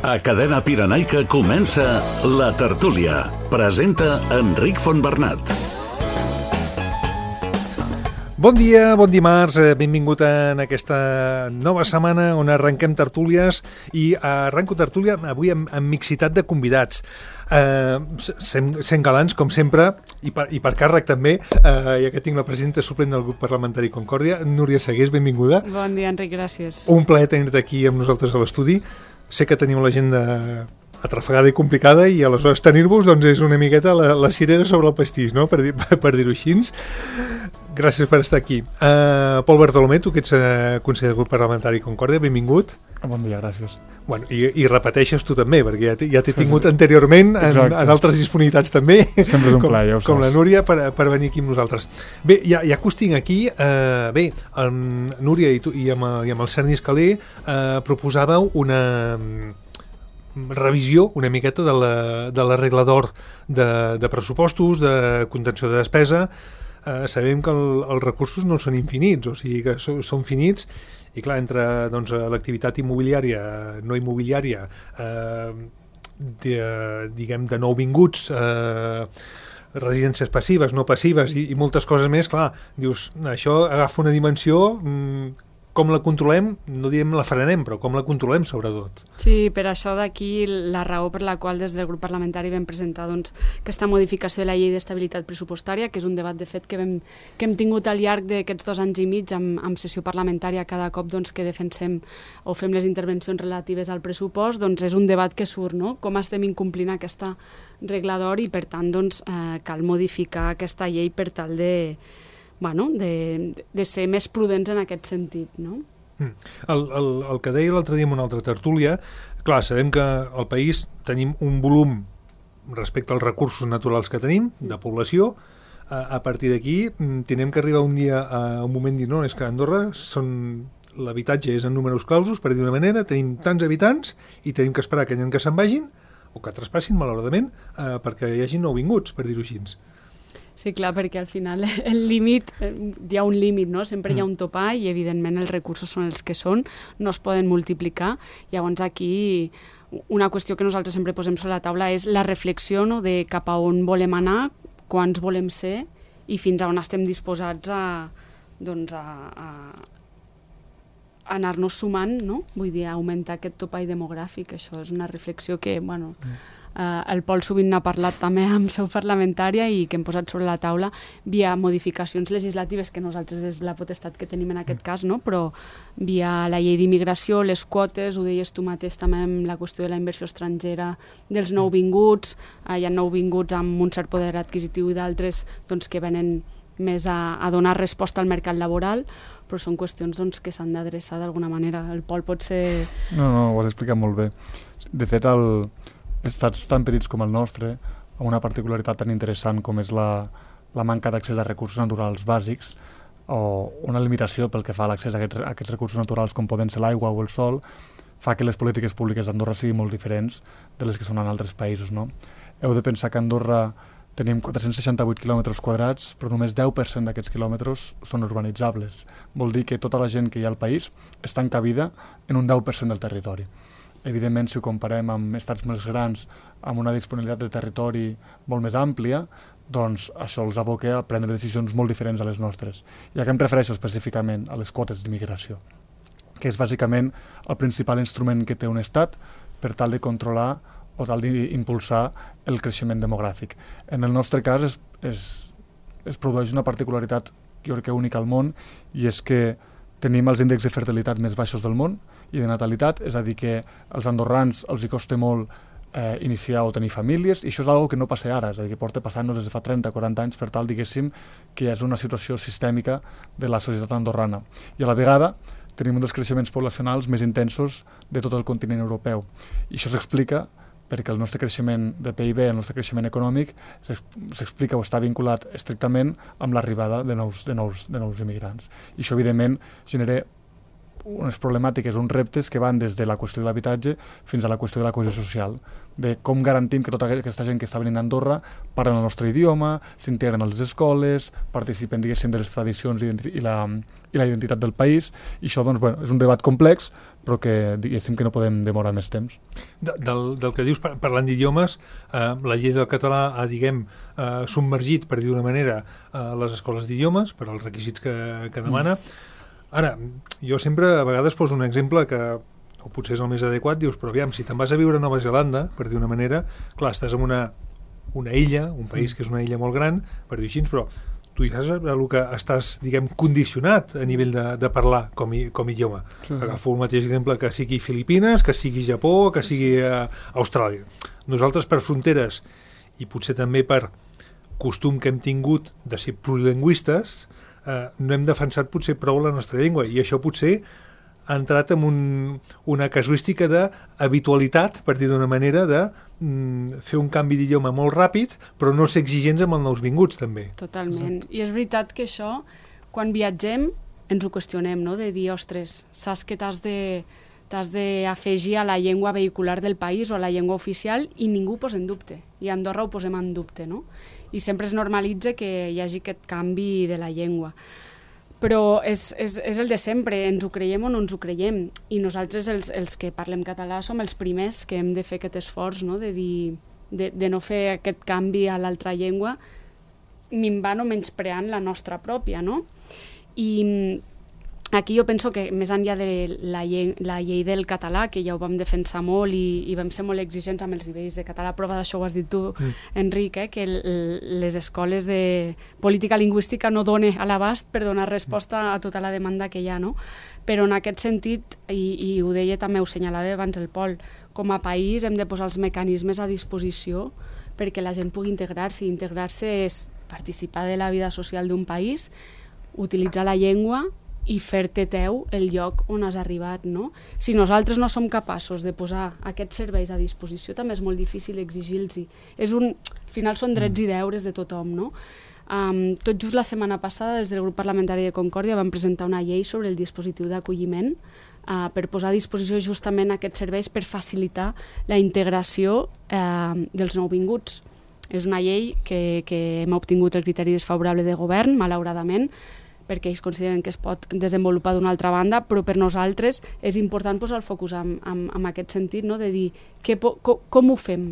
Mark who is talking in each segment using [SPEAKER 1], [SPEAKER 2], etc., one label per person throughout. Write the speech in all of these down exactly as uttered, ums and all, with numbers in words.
[SPEAKER 1] A Cadena Pirenaica comença La Tertúlia. Presenta Enric Fontbernat.
[SPEAKER 2] Bon dia, bon dimarts, benvingut en aquesta nova setmana on arrenquem tertúlies i arrenco tertúlia avui amb, amb mixitat de convidats. Uh, sent, sent galants, com sempre, i per, i per càrrec també, uh, ja que tinc la presidenta suplent del grup parlamentari Concòrdia, Núria Segués, benvinguda.
[SPEAKER 3] Bon dia, Enric, gràcies.
[SPEAKER 2] Un plaer tenir-te aquí amb nosaltres a l'estudi. Sé que tenim l'agenda atrafegada i complicada i aleshores tenir-vos doncs, és una miqueta la, la cirera sobre el pastís, no? per, dir, per dir-ho així. Gràcies per estar aquí. Uh, Pol Bartolomé, tu que ets uh, conseller del grup parlamentari Concòrdia, benvingut.
[SPEAKER 4] Bon dia, gràcies.
[SPEAKER 2] Bueno, i, i repeteixes tu també, perquè ja t'he ja tingut anteriorment en, en altres disponibilitats també,
[SPEAKER 4] sempre és un
[SPEAKER 2] com,
[SPEAKER 4] plaer, ja ho
[SPEAKER 2] com
[SPEAKER 4] saps.
[SPEAKER 2] la Núria, per, per venir aquí amb nosaltres. Bé, ja, ja que us tinc aquí, uh, bé, el, Núria i, tu, i, amb, i amb el Cerny Escalé uh, proposàveu una revisió una miqueta de la, de la regla d'or de, de pressupostos, de contenció de despesa. Uh, sabem que el, els recursos no són infinits, o sigui que so, són finits, i clar, entre doncs, l'activitat immobiliària, no immobiliària, eh, de, diguem de nouvinguts, eh, residències passives, no passives i, i moltes coses més, clar, dius, això agafa una dimensió, mm, com la controlem, no diem la frenem, però com la controlem sobretot.
[SPEAKER 3] Sí, per això d'aquí la raó per la qual des del grup parlamentari vam presentar doncs, aquesta modificació de la llei d'estabilitat pressupostària, que és un debat de fet que, vam, que hem tingut al llarg d'aquests dos anys i mig amb, amb sessió parlamentària cada cop doncs, que defensem o fem les intervencions relatives al pressupost, doncs és un debat que surt, no? Com estem incomplint aquesta regla d'or i per tant doncs, eh, cal modificar aquesta llei per tal de Bueno, de, de ser més prudents en aquest sentit, no?
[SPEAKER 2] Mm. El, el, el que deia l'altre dia en una altra tertúlia, clar, sabem que al país tenim un volum respecte als recursos naturals que tenim, de població, a, a partir d'aquí tenim que arribar un dia a un moment i dir, no, és que a Andorra són l'habitatge és en números clausos, per dir d'una manera, tenim tants habitants i tenim que esperar que hi ha que se'n vagin o que traspassin, malauradament, eh, perquè hi hagi nouvinguts, per dir-ho així.
[SPEAKER 3] Sí, clar, perquè al final el límit, hi ha un límit, no? Sempre hi ha un topall i evidentment els recursos són els que són, no es poden multiplicar. Llavors aquí una qüestió que nosaltres sempre posem sobre la taula és la reflexió, no? De cap a on volem anar, quants volem ser i fins a on estem disposats a, doncs a, a anar-nos sumant, no? Vull dir, augmentar aquest topall demogràfic. Això és una reflexió que, bueno, Uh, el Pol sovint n'ha parlat també amb seu parlamentària i que hem posat sobre la taula via modificacions legislatives, que nosaltres és la potestat que tenim en aquest cas, no? Però via la llei d'immigració, les quotes, ho deies tu mateix també amb la qüestió de la inversió estrangera, dels nouvinguts, uh, hi ha nouvinguts amb un cert poder adquisitiu i d'altres doncs, que venen més a, a donar resposta al mercat laboral, però són qüestions doncs, que s'han d'adreçar d'alguna manera. El Pol pot ser...
[SPEAKER 4] No, no, ho has explicat molt bé. De fet, el... estats tan petits com el nostre, amb una particularitat tan interessant com és la, la manca d'accés a recursos naturals bàsics o una limitació pel que fa a l'accés a aquests, a aquests recursos naturals com poden ser l'aigua o el sol, fa que les polítiques públiques d'Andorra siguin molt diferents de les que són en altres països. No? Heu de pensar que a Andorra tenim quatre-cents seixanta-vuit quilòmetres quadrats, però només deu per cent d'aquests quilòmetres són urbanitzables. Vol dir que tota la gent que hi ha al país està encabida en un deu per cent del territori. Evidentment, si ho comparem amb estats més grans, amb una disponibilitat de territori molt més àmplia, doncs això els aboca a prendre decisions molt diferents a les nostres. I a què em refereixo específicament? A les quotes d'immigració, que és bàsicament el principal instrument que té un estat per tal de controlar o tal d'impulsar el creixement demogràfic. En el nostre cas es, es, es produeix una particularitat, jo crec que única al món, i és que tenim els índexs de fertilitat més baixos del món i de natalitat, és a dir que als andorrans els hi costa molt eh, iniciar o tenir famílies, i això és una cosa que no passa ara, és a dir, que porta passant-nos des de fa trenta o quaranta anys per tal, diguéssim, que és una situació sistèmica de la societat andorrana. I a la vegada tenim un dels creixements poblacionals més intensos de tot el continent europeu. I això s'explica perquè el nostre creixement de P I B, el nostre creixement econòmic, s'explica o està vinculat estrictament amb l'arribada de nous, de, nous, de nous immigrants. I això, evidentment, genera unes problemàtiques, uns reptes que van des de la qüestió de l'habitatge fins a la qüestió de la cohesió social, de com garantim que tota aquesta gent que està venint a Andorra parlen el nostre idioma, s'integren a les escoles, participen, diguéssim, de les tradicions i la, i la identitat del país, i això, doncs, bueno, és un debat complex, però que, diguéssim, que no podem demorar més temps.
[SPEAKER 2] De, del, del que dius, parlant d'idiomes, eh, la llei del català ha, diguem, eh, submergit, per dir d'una manera, eh, les escoles d'idiomes, per als requisits que, que demana. Ara, jo sempre a vegades poso un exemple que, o potser és el més adequat, dius, però aviam, si te'n vas a viure a Nova Zelanda, per dir una manera, clar, estàs en una, una illa, un país que és una illa molt gran, per dir així, però tu ja saps el que estàs, diguem, condicionat a nivell de, de parlar com, i, com idioma. Sí. Agafo el mateix exemple que sigui Filipines, que sigui Japó, que sigui uh, Austràlia. Nosaltres per fronteres, i potser també per costum que hem tingut de ser plurilingüistes, eh, no hem defensat potser prou la nostra llengua, i això potser ha entrat en un, una casuística d'habitualitat, per dir d'una manera, de mm, fer un canvi d'idioma molt ràpid, però no ser exigents amb els nouvinguts, també.
[SPEAKER 3] Totalment. I és veritat que això, quan viatgem, ens ho qüestionem, no? De dir, ostres, saps que t'has de t'has d'afegir a la llengua vehicular del país o a la llengua oficial i ningú ho posa en dubte. I a Andorra ho posem en dubte, no? I sempre es normalitza que hi hagi aquest canvi de la llengua. Però és, és, és el de sempre, ens ho creiem o no ens ho creiem, i nosaltres els, els que parlem català som els primers que hem de fer aquest esforç, no? de, dir, de, de no fer aquest canvi a l'altra llengua minvant o menyspreant la nostra pròpia, no? I aquí jo penso que més enllà de la llei, la llei del català, que ja ho vam defensar molt i, i vam ser molt exigents amb els nivells de català, prova d'això ho has dit tu, mm. Enric, eh, que el, les escoles de política lingüística no donen a l'abast per donar resposta a tota la demanda que hi ha, no? Però en aquest sentit, i, i ho deia també, ho senyalava abans el Pol, com a país hem de posar els mecanismes a disposició perquè la gent pugui integrar-se. Integrar-se és participar de la vida social d'un país, utilitzar la llengua i fer-te teu el lloc on has arribat, no? Si nosaltres no som capaços de posar aquests serveis a disposició, també és molt difícil exigir-los. És un, al final són drets i deures de tothom, no? Um, tot just la setmana passada, des del grup parlamentari de Concòrdia, vam presentar una llei sobre el dispositiu d'acolliment uh, per posar a disposició justament aquests serveis per facilitar la integració uh, dels nouvinguts. És una llei que, que hem obtingut el criteri desfavorable de govern, malauradament, perquè ells consideren que es pot desenvolupar d'una altra banda, però per nosaltres és important posar el focus en, en, en aquest sentit, no? De dir que, com, com ho fem,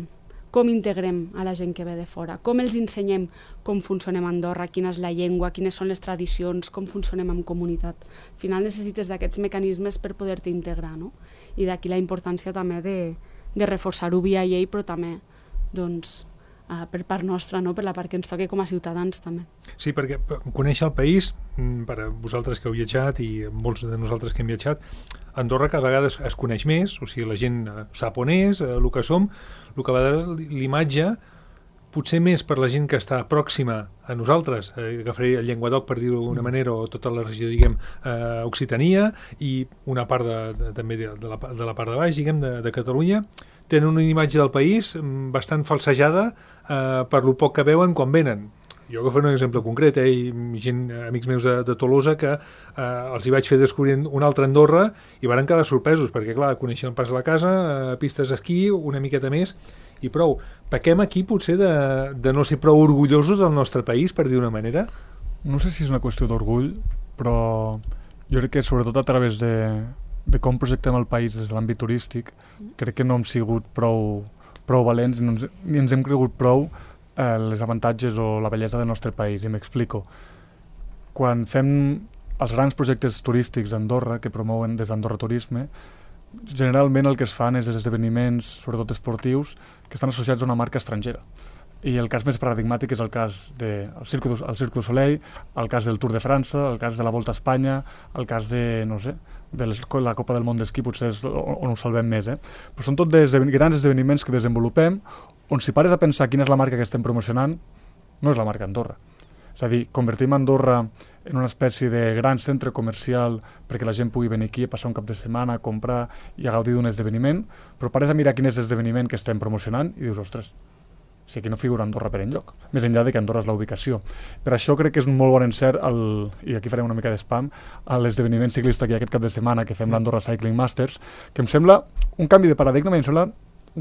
[SPEAKER 3] com integrem a la gent que ve de fora, com els ensenyem com funcionem a Andorra, quina és la llengua, quines són les tradicions, com funcionem en comunitat. Al final necessites d'aquests mecanismes per poder-te integrar, no? I d'aquí la importància també de, de reforçar-ho via llei, però també, doncs, Uh, per part nostra, no? Per la part que ens toca com a ciutadans també.
[SPEAKER 2] Sí, perquè conèixer el país, per a vosaltres que heu viatjat i molts de nosaltres que hem viatjat, Andorra cada vegada es, es coneix més, o sigui, la gent sap on és, eh, el que som, el que a vegades l'imatge, potser més per la gent que està pròxima a nosaltres, eh, agafaré el Llenguadoc per dir-ho d'alguna manera, o tota la regió, diguem, eh, Occitania, i una part de, de, també de, de, la, de la part de baix, diguem, de, de Catalunya, tenen una imatge del país bastant falsejada eh, per lo poc que veuen quan venen. Jo agafo un exemple concret, eh, i gent, amics meus de, de Tolosa, que eh, els hi vaig fer descobrir una altra Andorra i van quedar sorpresos, perquè clar, coneixen el pas de la casa, eh, pistes d'esquí, una miqueta més, i prou. Pequem aquí potser de, de no ser prou orgullosos del nostre país, per dir una manera?
[SPEAKER 4] No sé si és una qüestió d'orgull, però jo crec que sobretot a través de, de com projectem el país des de l'àmbit turístic, crec que no hem sigut prou, prou valents, ni ens, ni ens hem cregut prou eh, les avantatges o la bellesa del nostre país, i m'explico. Quan fem els grans projectes turístics a Andorra, que promouen des d'Andorra Turisme, generalment el que es fan és esdeveniments, sobretot esportius, que estan associats a una marca estrangera. I el cas més paradigmàtic és el cas del Cirque du, Cirque du Soleil, el cas del Tour de França, el cas de la Volta a Espanya, el cas de, no sé, de les, la Copa del Món d'Esquí, potser és on ho salvem més, eh? Però són tot des, grans esdeveniments que desenvolupem, on si pares a pensar quina és la marca que estem promocionant, no és la marca Andorra. És a dir, convertim Andorra en una espècie de gran centre comercial perquè la gent pugui venir aquí a passar un cap de setmana, a comprar i a gaudir d'un esdeveniment, però pares a mirar quin és l'esdeveniment que estem promocionant i dius, ostres, O sigui, que no figura Andorra per enlloc, més enllà de que Andorra és la ubicació. Per això crec que és un molt bon encert, el, i aquí farem una mica d'espam, a l'esdeveniment ciclista que hi ha aquest cap de setmana, que fem l'Andorra Cycling Masters, que em sembla un canvi de paradigma, i em sembla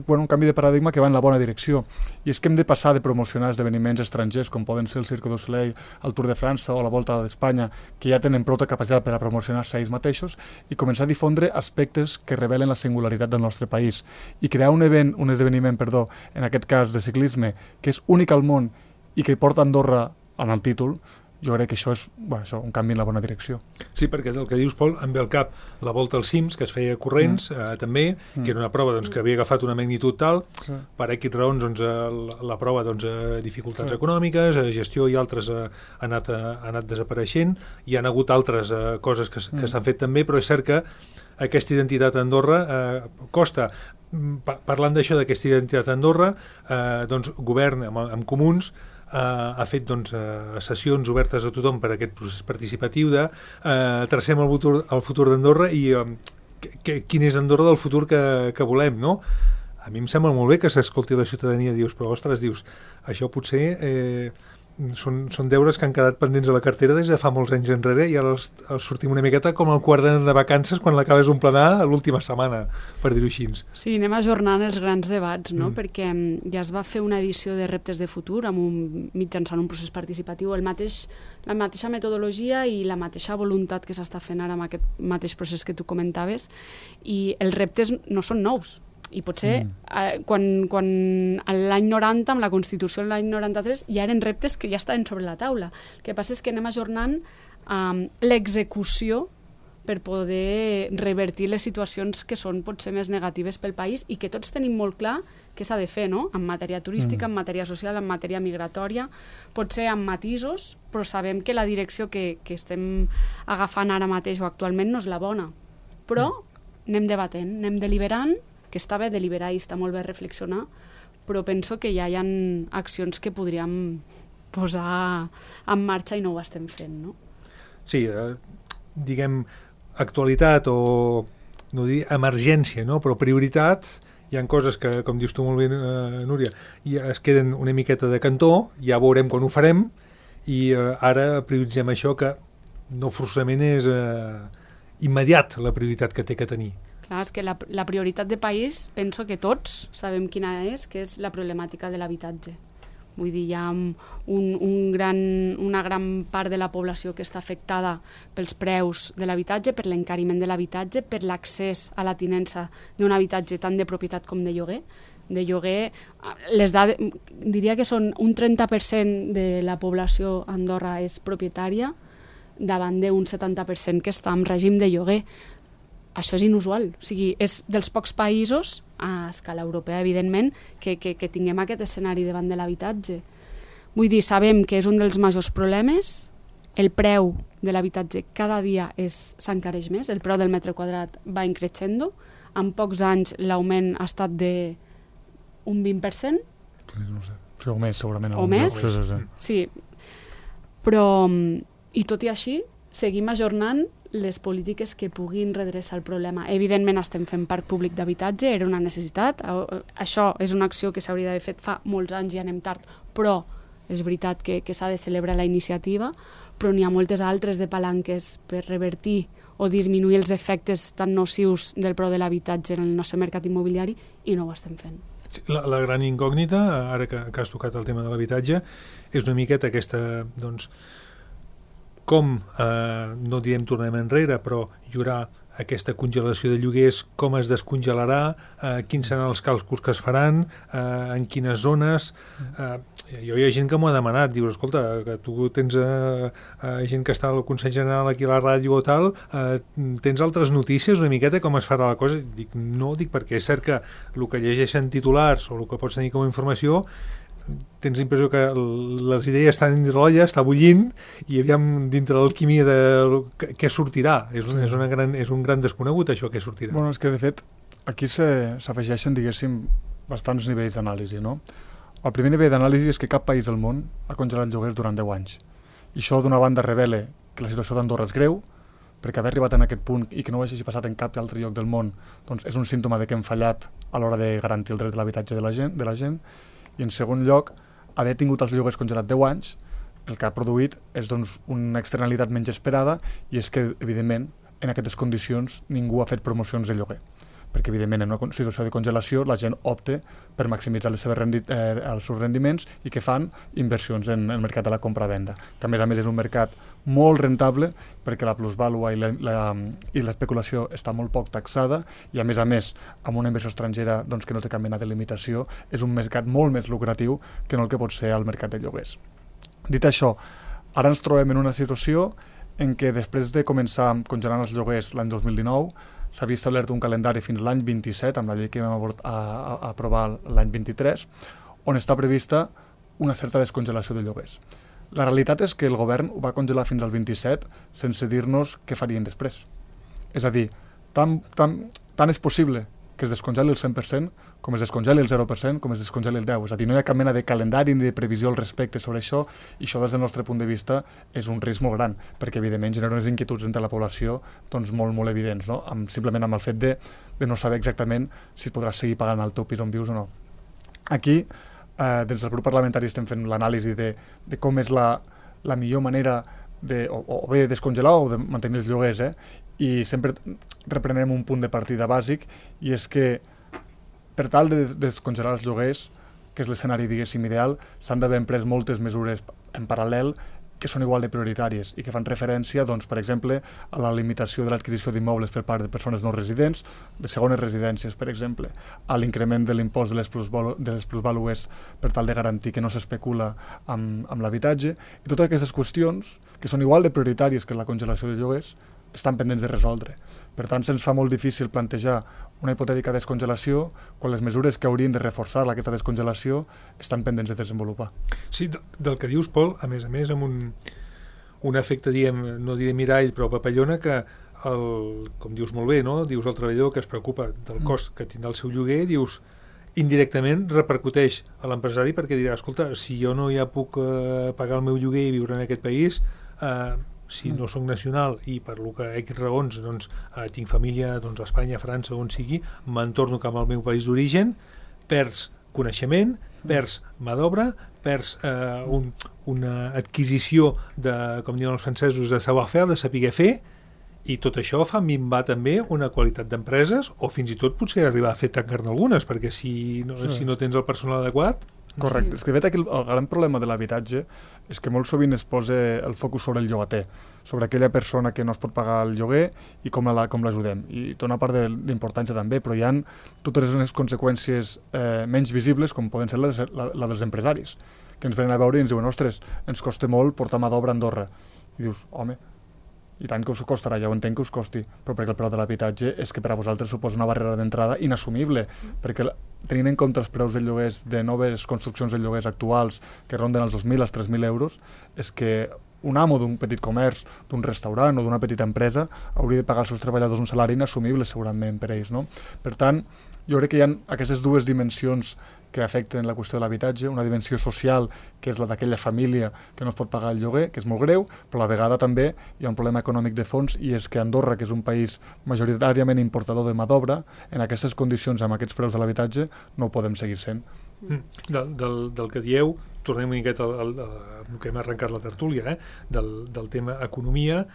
[SPEAKER 4] bueno, un canvi de paradigma que va en la bona direcció. I és que hem de passar de promocionar esdeveniments estrangers, com poden ser el Cirque du Soleil, el Tour de França o la Volta d'Espanya, que ja tenen prou capacitat per a promocionar-se ells mateixos, i començar a difondre aspectes que revelen la singularitat del nostre país. I crear un event, un esdeveniment, perdó, en aquest cas de ciclisme, que és únic al món i que porta Andorra en el títol, jo crec que això és bueno, això, un canvi en la bona direcció.
[SPEAKER 2] Sí, perquè del que dius, Pol, em ve al cap la Volta als Cims, que es feia corrents, mm. eh, també, mm. que era una prova doncs, que havia agafat una magnitud tal, sí. per X raons doncs, la, la prova doncs, eh, dificultats sí. econòmiques, eh, gestió i altres eh, ha, anat, eh, ha anat desapareixent, hi han hagut altres eh, coses que, que mm. s'han fet també, però és cert que aquesta identitat a Andorra eh, costa. Pa parlant d'això, d'aquesta identitat a Andorra, eh, doncs, govern amb, amb comuns, Uh, ha fet doncs, uh, sessions obertes a tothom per a aquest procés participatiu de uh, tracem el futur, el futur d'Andorra i uh, que, que, quin és Andorra del futur que, que volem, no? A mi em sembla molt bé que s'escolti la ciutadania, dius, però ostres, dius, això potser eh, són, són deures que han quedat pendents a la cartera des de fa molts anys enrere i ara els, els sortim una miqueta com el quart d'any de vacances quan l'acabes d'un planar a l'última setmana, per dir-ho així.
[SPEAKER 3] Sí, anem ajornant els grans debats, no?
[SPEAKER 2] Mm.
[SPEAKER 3] Perquè ja es va fer una edició de reptes de futur amb un, mitjançant un procés participatiu, el mateix, la mateixa metodologia i la mateixa voluntat que s'està fent ara amb aquest mateix procés que tu comentaves, i els reptes no són nous. I potser mm. eh, quan, quan l'any noranta, amb la Constitució de l'any noranta-tres, ja eren reptes que ja estaven sobre la taula. El que passa és que anem ajornant um, l'execució per poder revertir les situacions que són potser més negatives pel país i que tots tenim molt clar què s'ha de fer, no? En matèria turística, mm. en matèria social, en matèria migratòria, potser amb matisos, però sabem que la direcció que, que estem agafant ara mateix o actualment no és la bona. Però mm. anem debatent, anem deliberant, que està bé deliberar i està molt bé reflexionar, però penso que ja hi ha accions que podríem posar en marxa i no ho estem fent, no?
[SPEAKER 2] Sí, eh, diguem, actualitat o, no dir emergència, no? Però prioritat, hi ha coses que, com dius tu molt bé, eh, Núria, ja es queden una miqueta de cantó, ja veurem quan ho farem, i eh, ara prioritzem això que no forçament és eh, immediat la prioritat que té que tenir.
[SPEAKER 3] Clar, és que la, la prioritat de país, penso que tots sabem quina és, que és la problemàtica de l'habitatge. Vull dir, hi ha un, un gran, una gran part de la població que està afectada pels preus de l'habitatge, per l'encariment de l'habitatge, per l'accés a la tinença d'un habitatge tant de propietat com de lloguer. De lloguer, les dades, diria que són un trenta per cent de la població a Andorra és propietària, davant d'un setanta per cent que està en règim de lloguer. Això és inusual, o sigui, és dels pocs països, a escala europea, evidentment, que, que, que tinguem aquest escenari davant de l'habitatge. Vull dir, sabem que és un dels majors problemes, el preu de l'habitatge cada dia s'encareix més, el preu del metre quadrat va increixendo, en pocs anys l'augment ha estat de un vint per cent.
[SPEAKER 4] Sí, no sé, sí, o més, segurament.
[SPEAKER 3] O més,
[SPEAKER 4] sí, sí, sí.
[SPEAKER 3] sí. Però, i tot i així, seguim ajornant les polítiques que puguin redreçar el problema. Evidentment estem fent parc públic d'habitatge, era una necessitat, això és una acció que s'hauria d'haver fet fa molts anys i anem tard, però és veritat que, que s'ha de celebrar la iniciativa, però n'hi ha moltes altres de palanques per revertir o disminuir els efectes tan nocius del preu de l'habitatge en el nostre mercat immobiliari i no ho estem fent.
[SPEAKER 2] Sí, la, la gran incògnita, ara que, que has tocat el tema de l'habitatge, és una miqueta aquesta, doncs, com, eh, no direm tornem enrere, però hi haurà aquesta congelació de lloguers, com es descongelarà, eh, quins seran els càlculs que es faran, eh, en quines zones. Eh, jo hi ha gent que m'ho ha demanat, dius, escolta, que tu tens eh, eh, gent que està al Consell General aquí a la ràdio o tal, eh, tens altres notícies una miqueta com es farà la cosa? Dic, no, dic perquè és cert que el que llegeixen titulars o el que pots tenir com a informació tens l'impressió que les idees estan dintre l'olla, està bullint, i aviam dintre l'alquímia de què sortirà. És un, és, una gran, és un gran desconegut, això, què sortirà.
[SPEAKER 4] Bueno, és que, de fet, aquí s'afegeixen, diguéssim, bastants nivells d'anàlisi, no? El primer nivell d'anàlisi és que cap país del món ha congelat lloguers durant deu anys. I això, d'una banda, revela que la situació d'Andorra és greu, perquè haver arribat en aquest punt i que no ho hagi passat en cap altre lloc del món, doncs és un símptoma de que hem fallat a l'hora de garantir el dret de l'habitatge de la gent, de la gent. I en segon lloc, haver tingut els lloguers congelats deu anys, el que ha produït és doncs, una externalitat menys esperada, i és que, evidentment, en aquestes condicions ningú ha fet promocions de lloguer, perquè evidentment en una situació de congelació la gent opta per maximitzar les seves rendi eh, els seus rendiments i que fan inversions en el mercat de la compra-venda, que a més a més és un mercat molt rentable perquè la plusvàlua i la, la, i l'especulació està molt poc taxada, i a més a més amb una inversió estrangera doncs, que no té cap mena de limitació, és un mercat molt més lucratiu que no el que pot ser el mercat de lloguers. Dit això, ara ens trobem en una situació en què després de començar congelant els lloguers l'any dos mil dinou s'havia establert un calendari fins l'any vint-i-set, amb la llei que vam a, a, a aprovar l'any vint-i-tres, on està prevista una certa descongelació de lloguers. La realitat és que el govern ho va congelar fins al vint-i-set sense dir-nos què farien després. És a dir, tant, tant, tant és possible que es descongeli el cent per cent, com es descongeli el zero per cent, com es descongeli el deu per cent. És a dir, no hi ha cap mena de calendari ni de previsió al respecte sobre això, i això des del nostre punt de vista és un risc molt gran, perquè evidentment genera unes inquietuds entre la població doncs, molt, molt evidents, no? Amb, simplement amb el fet de, de no saber exactament si podràs seguir pagant el teu pis on vius o no. Aquí, eh, des del grup parlamentari estem fent l'anàlisi de, de com és la, la millor manera de, o, o bé descongelar o de mantenir els lloguers, eh? I sempre reprenem un punt de partida bàsic, i és que per tal de descongelar els lloguers, que és l'escenari, diguéssim, ideal, s'han d'haver emprès moltes mesures en paral·lel que són igual de prioritàries i que fan referència, doncs, per exemple, a la limitació de l'adquisició d'immobles per part de persones no residents, de segones residències, per exemple, a l'increment de l'impost de les plusvàlues per tal de garantir que no s'especula amb, amb l'habitatge, i totes aquestes qüestions, que són igual de prioritàries que la congelació de lloguers, estan pendents de resoldre. Per tant, se'ns fa molt difícil plantejar una hipotètica descongelació quan les mesures que haurien de reforçar aquesta descongelació estan pendents de desenvolupar.
[SPEAKER 2] Sí, del que dius, Pol, a més a més, amb un, un efecte, diem, no diré mirall, però papallona, que, el, com dius molt bé, no? Dius el treballador que es preocupa del cost que tindrà el seu lloguer, dius, indirectament repercuteix a l'empresari perquè dirà, escolta, si jo no ja puc eh, pagar el meu lloguer i viure en aquest país, eh, si no soc nacional i per lo que X raons doncs, eh, tinc família doncs, a Espanya, a França, on sigui, me'n torno cap al meu país d'origen, perds coneixement, perds mà d'obra, perds eh, un, una adquisició de, com diuen els francesos, de savoir-faire, de saber fer, i tot això fa minvar també una qualitat d'empreses, o fins i tot potser arribar a fer tancar-ne algunes, perquè si no, sí. si no tens el personal adequat...
[SPEAKER 4] Correcte. Sí. És que de fet aquí el, el gran problema de l'habitatge és que molt sovint es posa el focus sobre el llogater, sobre aquella persona que no es pot pagar el lloguer i com la, com l'ajudem. I té una part d'importància també, però hi ha totes les conseqüències eh, menys visibles, com poden ser la, la, la dels empresaris, que ens venen a veure i ens diuen, ostres, ens costa molt portar mà d'obra a Andorra. I dius, home, i tant que us costarà, ja ho entenc que us costi, però perquè el preu de l'habitatge és que per a vosaltres suposa una barrera d'entrada inassumible, perquè tenint en compte els preus de lloguers de noves construccions de lloguers actuals que ronden els dos mil als tres mil euros, és que un amo d'un petit comerç, d'un restaurant o d'una petita empresa hauria de pagar als seus treballadors un salari inassumible segurament per ells, no? Per tant, jo crec que hi ha aquestes dues dimensions que afecten la qüestió de l'habitatge, una dimensió social, que és la d'aquella família que no es pot pagar el lloguer, que és molt greu, però a la vegada també hi ha un problema econòmic de fons, i és que Andorra, que és un país majoritàriament importador de mà d'obra, en aquestes condicions, amb aquests preus de l'habitatge, no ho podem seguir sent.
[SPEAKER 2] Mm. Del, del, del que dieu, tornem una miqueta al, al, al que hem arrencat la tertúlia, eh? del, del tema economia,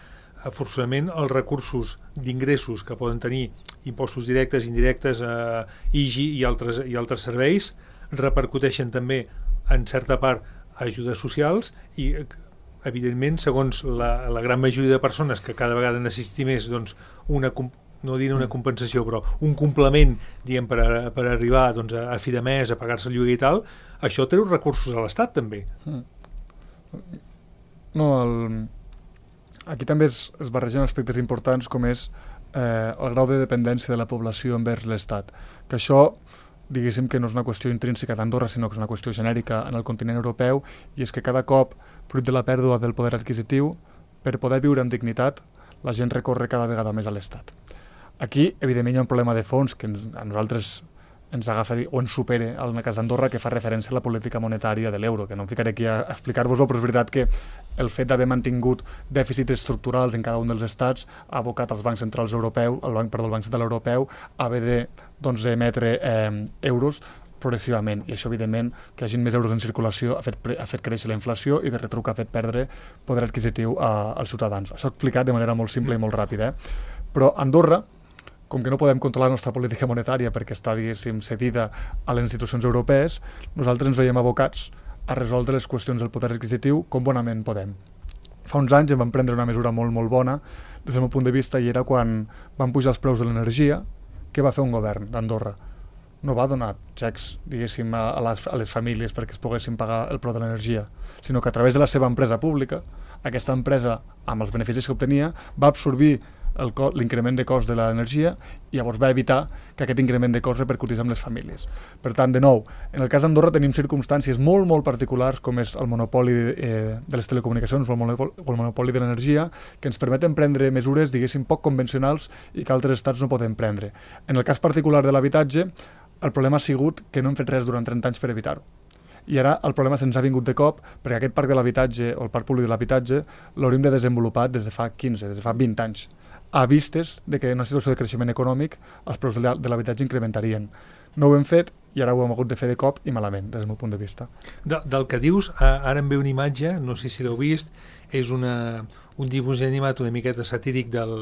[SPEAKER 2] forçosament els recursos d'ingressos que poden tenir impostos directes, indirectes, eh, I G I i altres, i altres serveis, repercuteixen també en certa part a ajudes socials i, evidentment, segons la, la gran majoria de persones que cada vegada necessiti més doncs, una, no diré una compensació, però un complement, diguem, per, a, per arribar doncs, a, a fi de mes, a pagar-se el lloguer i tal, això treu recursos a l'Estat també.
[SPEAKER 4] No, el... aquí també es, es barregen aspectes importants com és eh, el grau de dependència de la població envers l'Estat, que això diguéssim que no és una qüestió intrínseca d'Andorra, sinó que és una qüestió genèrica en el continent europeu, i és que cada cop, fruit de la pèrdua del poder adquisitiu, per poder viure amb dignitat, la gent recorre cada vegada més a l'Estat. Aquí, evidentment, hi ha un problema de fons que ens, a nosaltres ens agafa o ens supera en el cas d'Andorra, que fa referència a la política monetària de l'euro, que no em ficaré aquí a explicar-vos-ho, però és veritat que el fet d'haver mantingut dèficits estructurals en cada un dels estats ha abocat als bancs centrals europeus, el banc, perdó, el Banc Central Europeu, a haver de doncs, emetre eh, euros progressivament, i això, evidentment, que hi hagi més euros en circulació ha fet, ha fet créixer la inflació i de retruc ha fet perdre poder adquisitiu a, als ciutadans. Això explicat de manera molt simple i molt ràpida. Eh? Però Andorra, com que no podem controlar la nostra política monetària perquè està, diguéssim, cedida a les institucions europees, nosaltres ens veiem abocats a resoldre les qüestions del poder adquisitiu com bonament podem. Fa uns anys em vam prendre una mesura molt, molt bona, des del meu punt de vista, i era quan van pujar els preus de l'energia. Què va fer un govern d'Andorra? No va donar xecs, diguéssim, a les, a les famílies perquè es poguessin pagar el preu de l'energia, sinó que a través de la seva empresa pública, aquesta empresa, amb els beneficis que obtenia, va absorbir l'increment de cost de l'energia i llavors va evitar que aquest increment de cost repercutís amb les famílies. Per tant, de nou, en el cas d'Andorra tenim circumstàncies molt, molt particulars, com és el monopoli eh, de les telecomunicacions o el monopoli, o el monopoli de l'energia, que ens permeten prendre mesures, diguéssim, poc convencionals i que altres estats no poden prendre. En el cas particular de l'habitatge, el problema ha sigut que no hem fet res durant trenta anys per evitar-ho. I ara el problema se'ns ha vingut de cop perquè aquest parc de l'habitatge o el parc públic de l'habitatge l'hauríem de desenvolupar des de fa quinze, des de fa vint anys, a vistes de que en una situació de creixement econòmic els preus de l'habitatge incrementarien. No ho hem fet i ara ho hem hagut de fer de cop i malament, des del meu punt de vista.
[SPEAKER 2] De, del que dius, ara em ve una imatge, no sé si l'heu vist, és una, un dibuix animat una miqueta satíric del,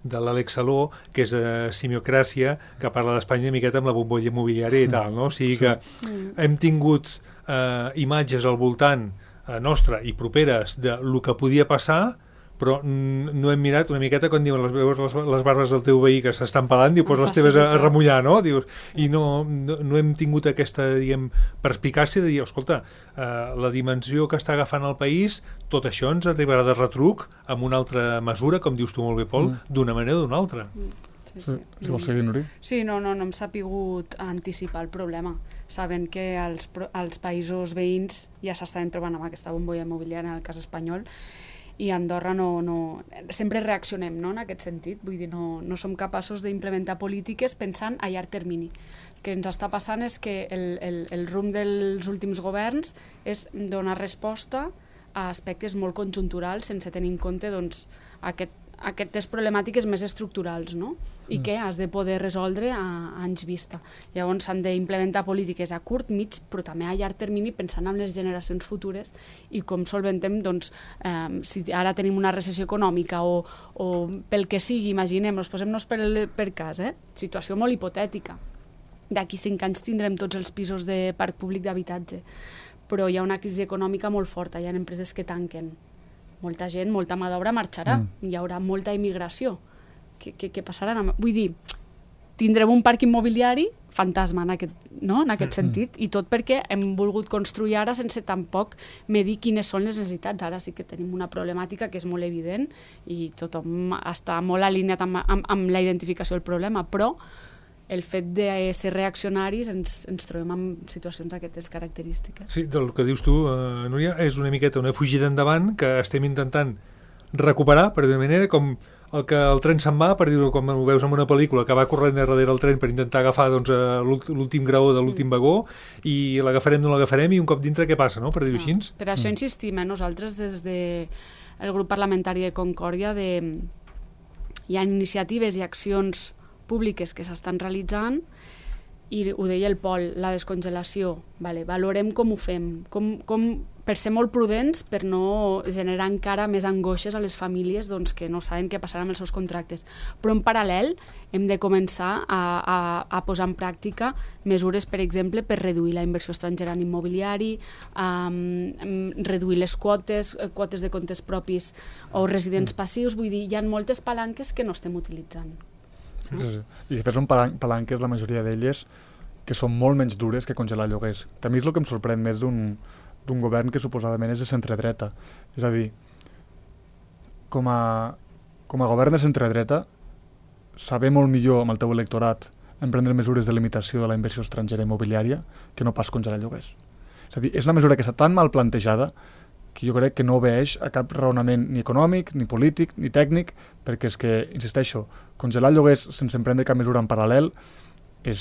[SPEAKER 2] de l'Àlex Saló, que és uh, Simiocràcia, que parla d'Espanya una miqueta amb la bombolla immobiliària i tal, no? O sigui que hem tingut uh, imatges al voltant uh, nostra i properes de lo que podia passar, però no hem mirat una miqueta quan diuen les, les, les barbes del teu veí que s'estan pelant, diu, pues les teves a, a remullar, no? Dius, i no, no, no hem tingut aquesta, diguem, perspicàcia de dir, escolta, eh, la dimensió que està agafant el país, tot això ens arribarà de retruc amb una altra mesura, com dius tu molt bé, Pol, mm. d'una manera o d'una altra.
[SPEAKER 3] Mm. Sí,
[SPEAKER 4] sí. Si vols seguir, Nuri?
[SPEAKER 3] Sí, no, no, no hem sapigut anticipar el problema, sabent que els, els països veïns ja s'estan trobant amb aquesta bombolla immobiliària en el cas espanyol, i a Andorra no, no, sempre reaccionem, no, en aquest sentit, vull dir, no, no som capaços d'implementar polítiques pensant a llarg termini. El que ens està passant és que el, el, el rumb dels últims governs és donar resposta a aspectes molt conjunturals sense tenir en compte doncs, aquest, aquestes problemàtiques més estructurals, no? I mm. que has de poder resoldre a, a anys vista. Llavors s'han d'implementar polítiques a curt, mig, però també a llarg termini pensant en les generacions futures i com solventem, doncs, eh, si ara tenim una recessió econòmica o, o pel que sigui, imaginem-nos, posem-nos per, per cas, eh? Situació molt hipotètica. D'aquí cinc anys tindrem tots els pisos de parc públic d'habitatge, però hi ha una crisi econòmica molt forta, hi ha empreses que tanquen. Molta gent, molta mà d'obra marxarà, mm. hi haurà molta immigració. Què, què, què passarà? Vull dir, tindrem un parc immobiliari fantasma en aquest, no? en aquest mm. sentit, i tot perquè hem volgut construir ara sense tampoc medir quines són les necessitats. Ara sí que tenim una problemàtica que és molt evident i tothom està molt alineat amb, amb, amb la identificació del problema, però el fet de ser reaccionaris ens, ens trobem en situacions d'aquestes característiques.
[SPEAKER 2] Sí, del que dius tu, eh, Núria, és una miqueta una fugida endavant que estem intentant recuperar, per dir-ho manera, com el que el tren se'n va, per dir-ho com ho veus en una pel·lícula, que va corrent darrere el tren per intentar agafar doncs, l'últim graó de l'últim mm. vagó, i l'agafarem, no l'agafarem, i un cop dintre què passa, no? Per dir-ho no. així.
[SPEAKER 3] Per això insistim, eh? Nosaltres des del de grup parlamentari de Concòrdia de... hi ha iniciatives i accions públiques que s'estan realitzant i ho deia el Pol, la descongelació, vale, valorem com ho fem, com, com, per ser molt prudents, per no generar encara més angoixes a les famílies doncs, que no saben què passarà amb els seus contractes. Però en paral·lel hem de començar a, a, a posar en pràctica mesures, per exemple, per reduir la inversió estrangera en immobiliari, um, reduir les quotes, quotes de comptes propis o residents passius, vull dir, hi ha moltes palanques que no estem utilitzant.
[SPEAKER 4] Sí, sí, sí. I de fet són palanques, la majoria d'elles, que són molt menys dures que congelar lloguers. També és el que em sorprèn més d'un d'un govern que suposadament és de centredreta. És a dir, com a, com a govern de centredreta, saber molt millor amb el teu electorat emprendre mesures de limitació de la inversió estrangera immobiliària que no pas congelar lloguers. És a dir, és una mesura que està tan mal plantejada que jo crec que no obeeix a cap raonament ni econòmic, ni polític, ni tècnic, perquè és que, insisteixo, congelar lloguers sense emprendre cap mesura en paral·lel és,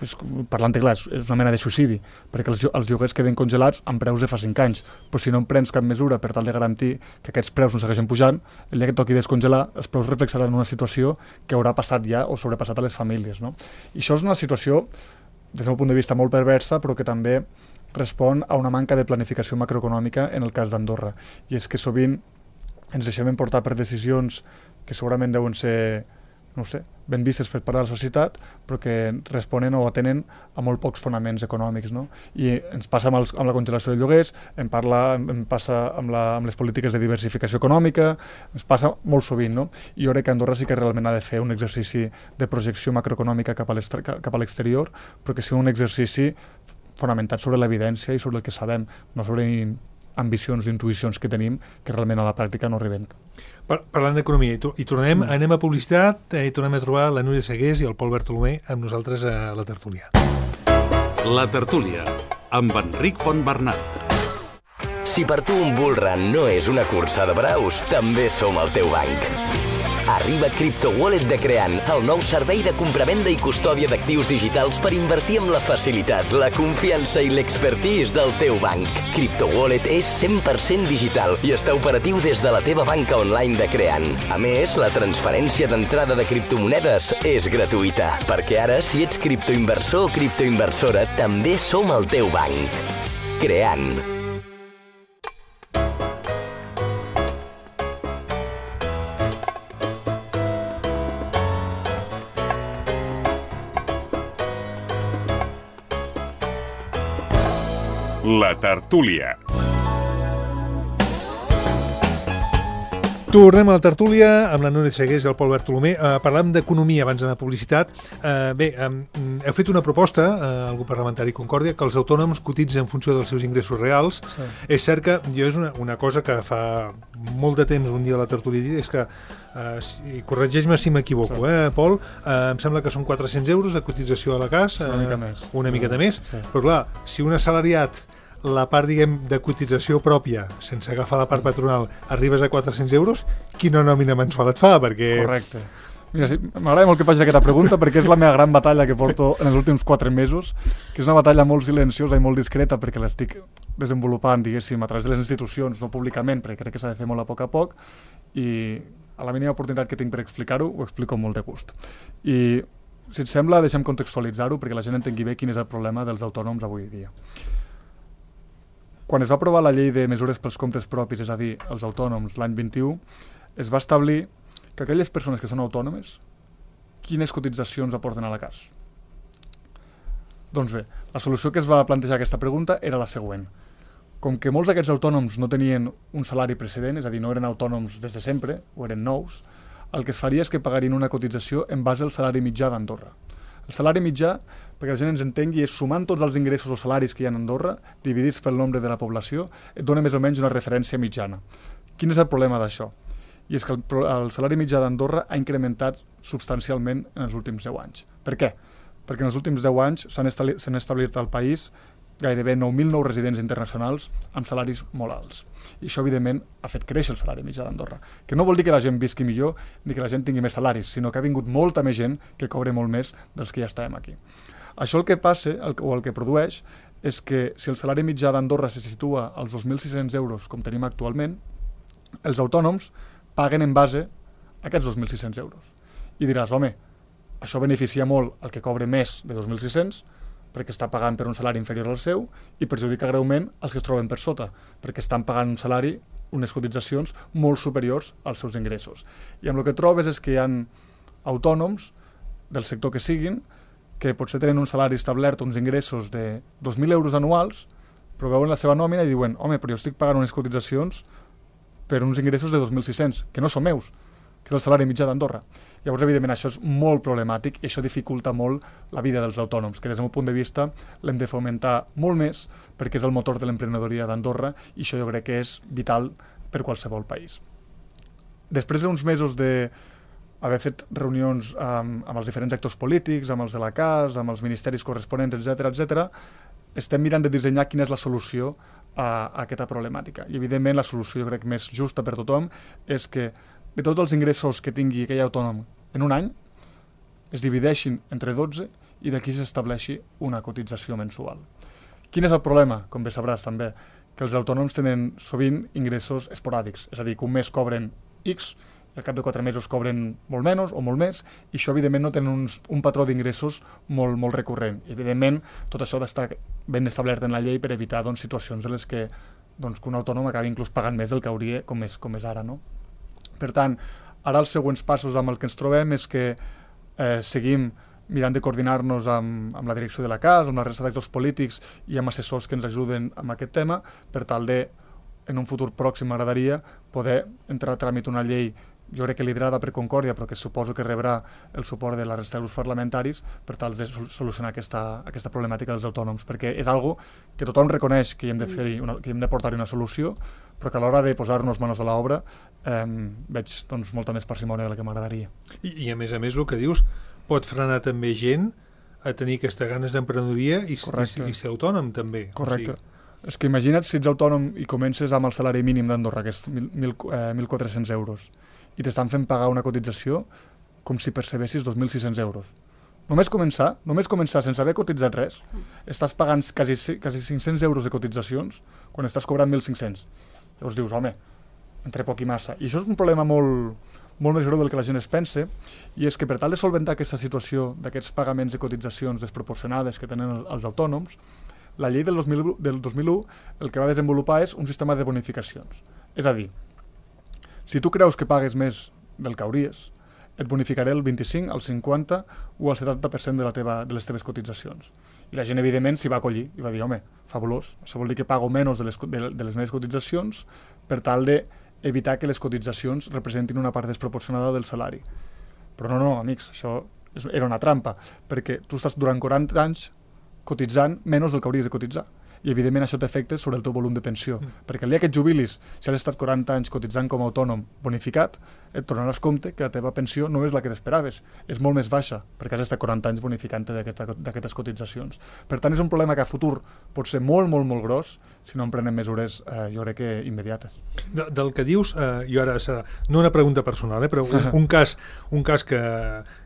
[SPEAKER 4] és parlant-te clar, és una mena de suïcidi, perquè els, els lloguers queden congelats amb preus de fa cinc anys, però si no emprens cap mesura per tal de garantir que aquests preus no segueixen pujant, el dia que toqui descongelar, els preus reflexaran en una situació que haurà passat ja o sobrepassat a les famílies, no? I això és una situació des del meu punt de vista, molt perversa, però que també respon a una manca de planificació macroeconòmica en el cas d'Andorra. I és que sovint ens deixem emportar per decisions que segurament deuen ser, no sé, ben vistes per part de la societat, però que responen o atenen a molt pocs fonaments econòmics, no? I ens passa amb, els, amb la congelació de lloguers, em, parla, em passa amb, la, amb les polítiques de diversificació econòmica, ens passa molt sovint, no? I jo crec que Andorra sí que realment ha de fer un exercici de projecció macroeconòmica cap a l'exterior, però que sigui un exercici fonamentat sobre l'evidència i sobre el que sabem, no sobre ambicions i intuïcions que tenim que realment a la pràctica no arriben.
[SPEAKER 2] Par Parlant d'economia, i, i tornem, mm. anem a publicitat i tornem a trobar la Núria Segués i el Pol Bartolomé amb nosaltres a la tertúlia.
[SPEAKER 1] La tertúlia, amb Enric Fontbernat.
[SPEAKER 5] Si per tu un bull run no és una cursa de braus, també som el teu banc. Arriba CryptoWallet de Creant, el nou servei de compravenda i custòdia d'actius digitals per invertir amb la facilitat, la confiança i l'expertise del teu banc. CryptoWallet és cent per cent digital i està operatiu des de la teva banca online de Creant. A més, la transferència d'entrada de criptomonedes és gratuïta, perquè ara, si ets criptoinversor o criptoinversora, també som el teu banc. Creant.
[SPEAKER 6] La tertúlia.
[SPEAKER 2] Tornem a la tertúlia amb la Núria Segués i el Pol Bartolomé. Uh, parlàvem d'economia abans d'anar a publicitat. Uh, bé, um, heu fet una proposta uh, al grup parlamentari Concòrdia que els autònoms cotitzen en funció dels seus ingressos reals. Sí. És cert que jo és una, una cosa que fa molt de temps un dia a la tertúlia he dit, és que, uh, si, corregeix-me si m'equivoco, sí. eh, Pol, uh, em sembla que són quatre-cents euros de cotització a la C A S.
[SPEAKER 4] Sí, una uh, mica més.
[SPEAKER 2] Una miqueta
[SPEAKER 4] sí.
[SPEAKER 2] més. Sí. Però clar, si un assalariat la part, diguem, de cotització pròpia, sense agafar la part patronal, arribes a quatre-cents euros, quina nòmina mensual et fa? Perquè...
[SPEAKER 4] Correcte. Mira, sí, m'agrada molt que facis aquesta pregunta perquè és la meva gran batalla que porto en els últims quatre mesos, que és una batalla molt silenciosa i molt discreta perquè l'estic desenvolupant, diguéssim, a través de les institucions, no públicament, perquè crec que s'ha de fer molt a poc a poc, i a la mínima oportunitat que tinc per explicar-ho, ho explico amb molt de gust. I, si et sembla, deixem contextualitzar-ho perquè la gent entengui bé quin és el problema dels autònoms avui dia. Quan es va aprovar la llei de mesures pels comptes propis, és a dir, els autònoms, l'any vint-i-u, es va establir que aquelles persones que són autònomes, quines cotitzacions aporten a la C A S? Doncs bé, la solució que es va plantejar a aquesta pregunta era la següent. Com que molts d'aquests autònoms no tenien un salari precedent, és a dir, no eren autònoms des de sempre, o eren nous, el que es faria és que pagarien una cotització en base al salari mitjà d'Andorra. El salari mitjà, perquè la gent ens entengui, és sumant tots els ingressos o salaris que hi ha a Andorra, dividits pel nombre de la població, et dona més o menys una referència mitjana. Quin és el problema d'això? I és que el, el salari mitjà d'Andorra ha incrementat substancialment en els últims deu anys. Per què? Perquè en els últims deu anys s'han establit, s'han establit al país gairebé nou mil nous residents internacionals amb salaris molt alts. I això, evidentment, ha fet créixer el salari mitjà d'Andorra. Que no vol dir que la gent visqui millor ni que la gent tingui més salaris, sinó que ha vingut molta més gent que cobre molt més dels que ja estàvem aquí. Això el que passa, el, o el que produeix, és que si el salari mitjà d'Andorra se situa als dos mil sis-cents euros, com tenim actualment, els autònoms paguen en base a aquests dos mil sis-cents euros. I diràs, home, això beneficia molt el que cobre més de dos mil sis-cents, perquè està pagant per un salari inferior al seu, i perjudica greument els que es troben per sota, perquè estan pagant un salari, unes cotitzacions molt superiors als seus ingressos. I amb el que trobes és que hi ha autònoms, del sector que siguin, que potser tenen un salari establert, uns ingressos de dos mil euros anuals, però veuen la seva nòmina i diuen, home, però jo estic pagant unes cotitzacions per uns ingressos de dos mil sis-cents, que no són meus, que és el salari mitjà d'Andorra. Llavors, evidentment, això és molt problemàtic i això dificulta molt la vida dels autònoms, que des del meu punt de vista l'hem de fomentar molt més perquè és el motor de l'emprenedoria d'Andorra i això jo crec que és vital per qualsevol país. Després d'uns mesos d'haver fet reunions amb, amb els diferents actors polítics, amb els de la C A S, amb els ministeris corresponents, etcètera, etcètera, estem mirant de dissenyar quina és la solució a, a aquesta problemàtica. I, evidentment, la solució jo crec més justa per tothom és que de tots els ingressos que tingui aquell autònom en un any, es divideixin entre dotze i d'aquí s'estableixi una cotització mensual. Quin és el problema? Com bé sabràs també, que els autònoms tenen sovint ingressos esporàdics, és a dir, que un mes cobren X al cap de quatre mesos cobren molt menys o molt més, i això evidentment no tenen uns, un patró d'ingressos molt, molt recurrent. I evidentment tot això ha d'estar ben establert en la llei per evitar doncs, situacions en les que, doncs, que un autònom acabi inclús pagant més del que hauria, com és, com és ara. No? Per tant, ara els següents passos amb el que ens trobem és que eh, seguim mirant de coordinar-nos amb, amb la direcció de la C A S, amb la resta d'actors polítics i amb assessors que ens ajuden amb aquest tema, per tal de, en un futur pròxim m'agradaria poder entrar a tràmit una llei, jo crec que liderada per Concòrdia, però que suposo que rebrà el suport de la resta de grups parlamentaris per tal de solucionar aquesta, aquesta problemàtica dels autònoms, perquè és algo que tothom reconeix que hi hem de, fer una, que hi hem de portar-hi una solució, però que a l'hora de posar-nos manos a l'obra eh, veig doncs, molta més parsimònia de la que m'agradaria.
[SPEAKER 2] I, I a més a més el que dius pot frenar també gent a tenir aquestes ganes d'emprenedoria i, i, i ser autònom també.
[SPEAKER 4] Correcte. O sigui... És que imagina't si ets autònom i comences amb el salari mínim d'Andorra, que és mil quatre-cents euros, i t'estan fent pagar una cotització com si percebessis dos mil sis-cents euros. Només començar, només començar sense haver cotitzat res, estàs pagant quasi, quasi cinc-cents euros de cotitzacions quan estàs cobrant mil cinc-cents. Llavors dius, home, entre poc i massa. I això és un problema molt, molt més greu del que la gent es pense, i és que per tal de solventar aquesta situació d'aquests pagaments de cotitzacions desproporcionades que tenen els autònoms, la llei del dos mil u, del dos mil u el que va desenvolupar és un sistema de bonificacions. És a dir, si tu creus que pagues més del que hauries, et bonificaré el vint-i-cinc, el cinquanta o el setanta per cent de, la teva, de les teves cotitzacions. I la gent, evidentment, s'hi va acollir i va dir, home, fabulós, això vol dir que pago menys de les, de, de les meves cotitzacions per tal d'evitar que les cotitzacions representin una part desproporcionada del salari. Però no, no, amics, això era una trampa, perquè tu estàs durant quaranta anys cotitzant menys del que hauries de cotitzar. I, evidentment, això té efectes sobre el teu volum de pensió. Mm. Perquè el dia que et jubilis, si has estat quaranta anys cotitzant com a autònom bonificat, et tornaràs compte que la teva pensió no és la que t'esperaves. És molt més baixa, perquè has estat quaranta anys bonificant d'aquestes cotitzacions. Per tant, és un problema que a futur pot ser molt, molt, molt gros si no en prenem mesures, eh, jo crec que immediates.
[SPEAKER 2] De, del que dius, eh, jo ara, no una pregunta personal, eh, però un, un cas, un cas que,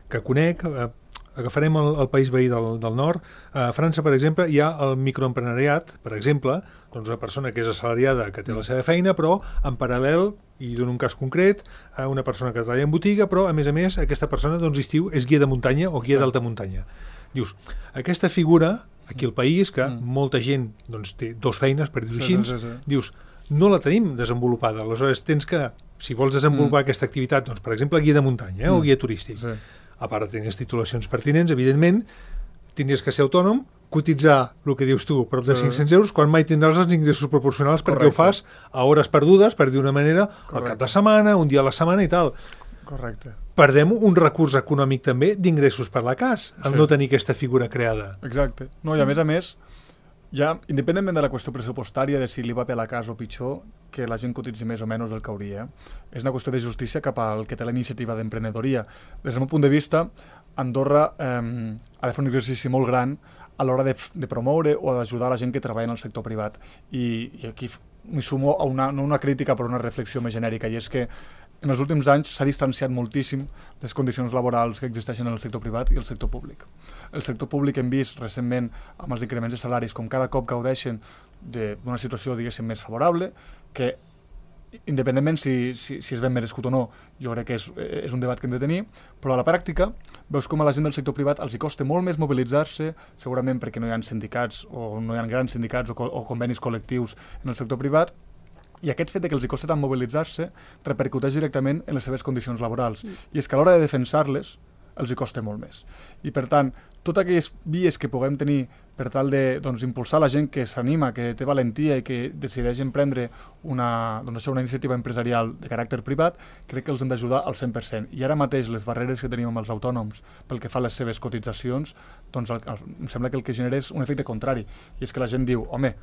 [SPEAKER 2] que conec... Eh, agafarem el, el país veí del, del nord. A França, per exemple, hi ha el microempresariat, per exemple, doncs una persona que és assalariada, que té la seva feina, però en paral·lel, i dono un cas concret, una persona que treballa en botiga, però a més a més aquesta persona doncs, estiu és guia de muntanya o guia d'alta muntanya. Dius, aquesta figura, aquí al país, que mm. molta gent doncs, té dos feines, per dir-ho així, sí, sí, sí. dius, no la tenim desenvolupada. Aleshores tens que, si vols desenvolupar mm. aquesta activitat, doncs, per exemple, guia de muntanya eh, mm. o guia turístic, sí. a part de tenir les titulacions pertinents, evidentment, tindries que ser autònom, cotitzar el que dius tu, prop de sí. cinc-cents euros, quan mai tindràs els ingressos proporcionals perquè Correcte. Ho fas a hores perdudes, per dir una manera, Correcte. Al cap de setmana, un dia a la setmana i tal.
[SPEAKER 4] Correcte.
[SPEAKER 2] Perdem un recurs econòmic també d'ingressos per la C A S, al sí. no tenir aquesta figura creada.
[SPEAKER 4] Exacte. No, i a més a més, ja, independentment de la qüestió pressupostària, de si li va bé la C A S o pitjor, que la gent cotitzi més o menys del que hauria, és una qüestió de justícia cap al que té la iniciativa d'emprenedoria. Des del meu punt de vista, Andorra eh, ha de fer un exercici molt gran a l'hora de, de promoure o d'ajudar la gent que treballa en el sector privat. I, i aquí m'hi sumo a una, no una crítica, però una reflexió més genèrica, i és que en els últims anys s'ha distanciat moltíssim les condicions laborals que existeixen en el sector privat i el sector públic. El sector públic hem vist recentment amb els increments de salaris com cada cop gaudeixen d'una situació, diguéssim, més favorable, que independentment si, si, si és ben merescut o no, jo crec que és, és un debat que hem de tenir, però a la pràctica veus com a la gent del sector privat els hi costa molt més mobilitzar-se, segurament perquè no hi ha sindicats o no hi ha grans sindicats o, co o convenis col·lectius en el sector privat, i aquest fet de que els hi costa tant mobilitzar-se repercuteix directament en les seves condicions laborals. Mm. I és que a l'hora de defensar-les els hi costa molt més. I per tant, totes aquelles vies que puguem tenir per tal de doncs, impulsar la gent que s'anima, que té valentia i que decideix emprendre una, doncs, això, una iniciativa empresarial de caràcter privat, crec que els hem d'ajudar al cent per cent. I ara mateix les barreres que tenim amb els autònoms pel que fa a les seves cotitzacions, doncs el, el, em sembla que el que genera és un efecte contrari. I és que la gent diu, home,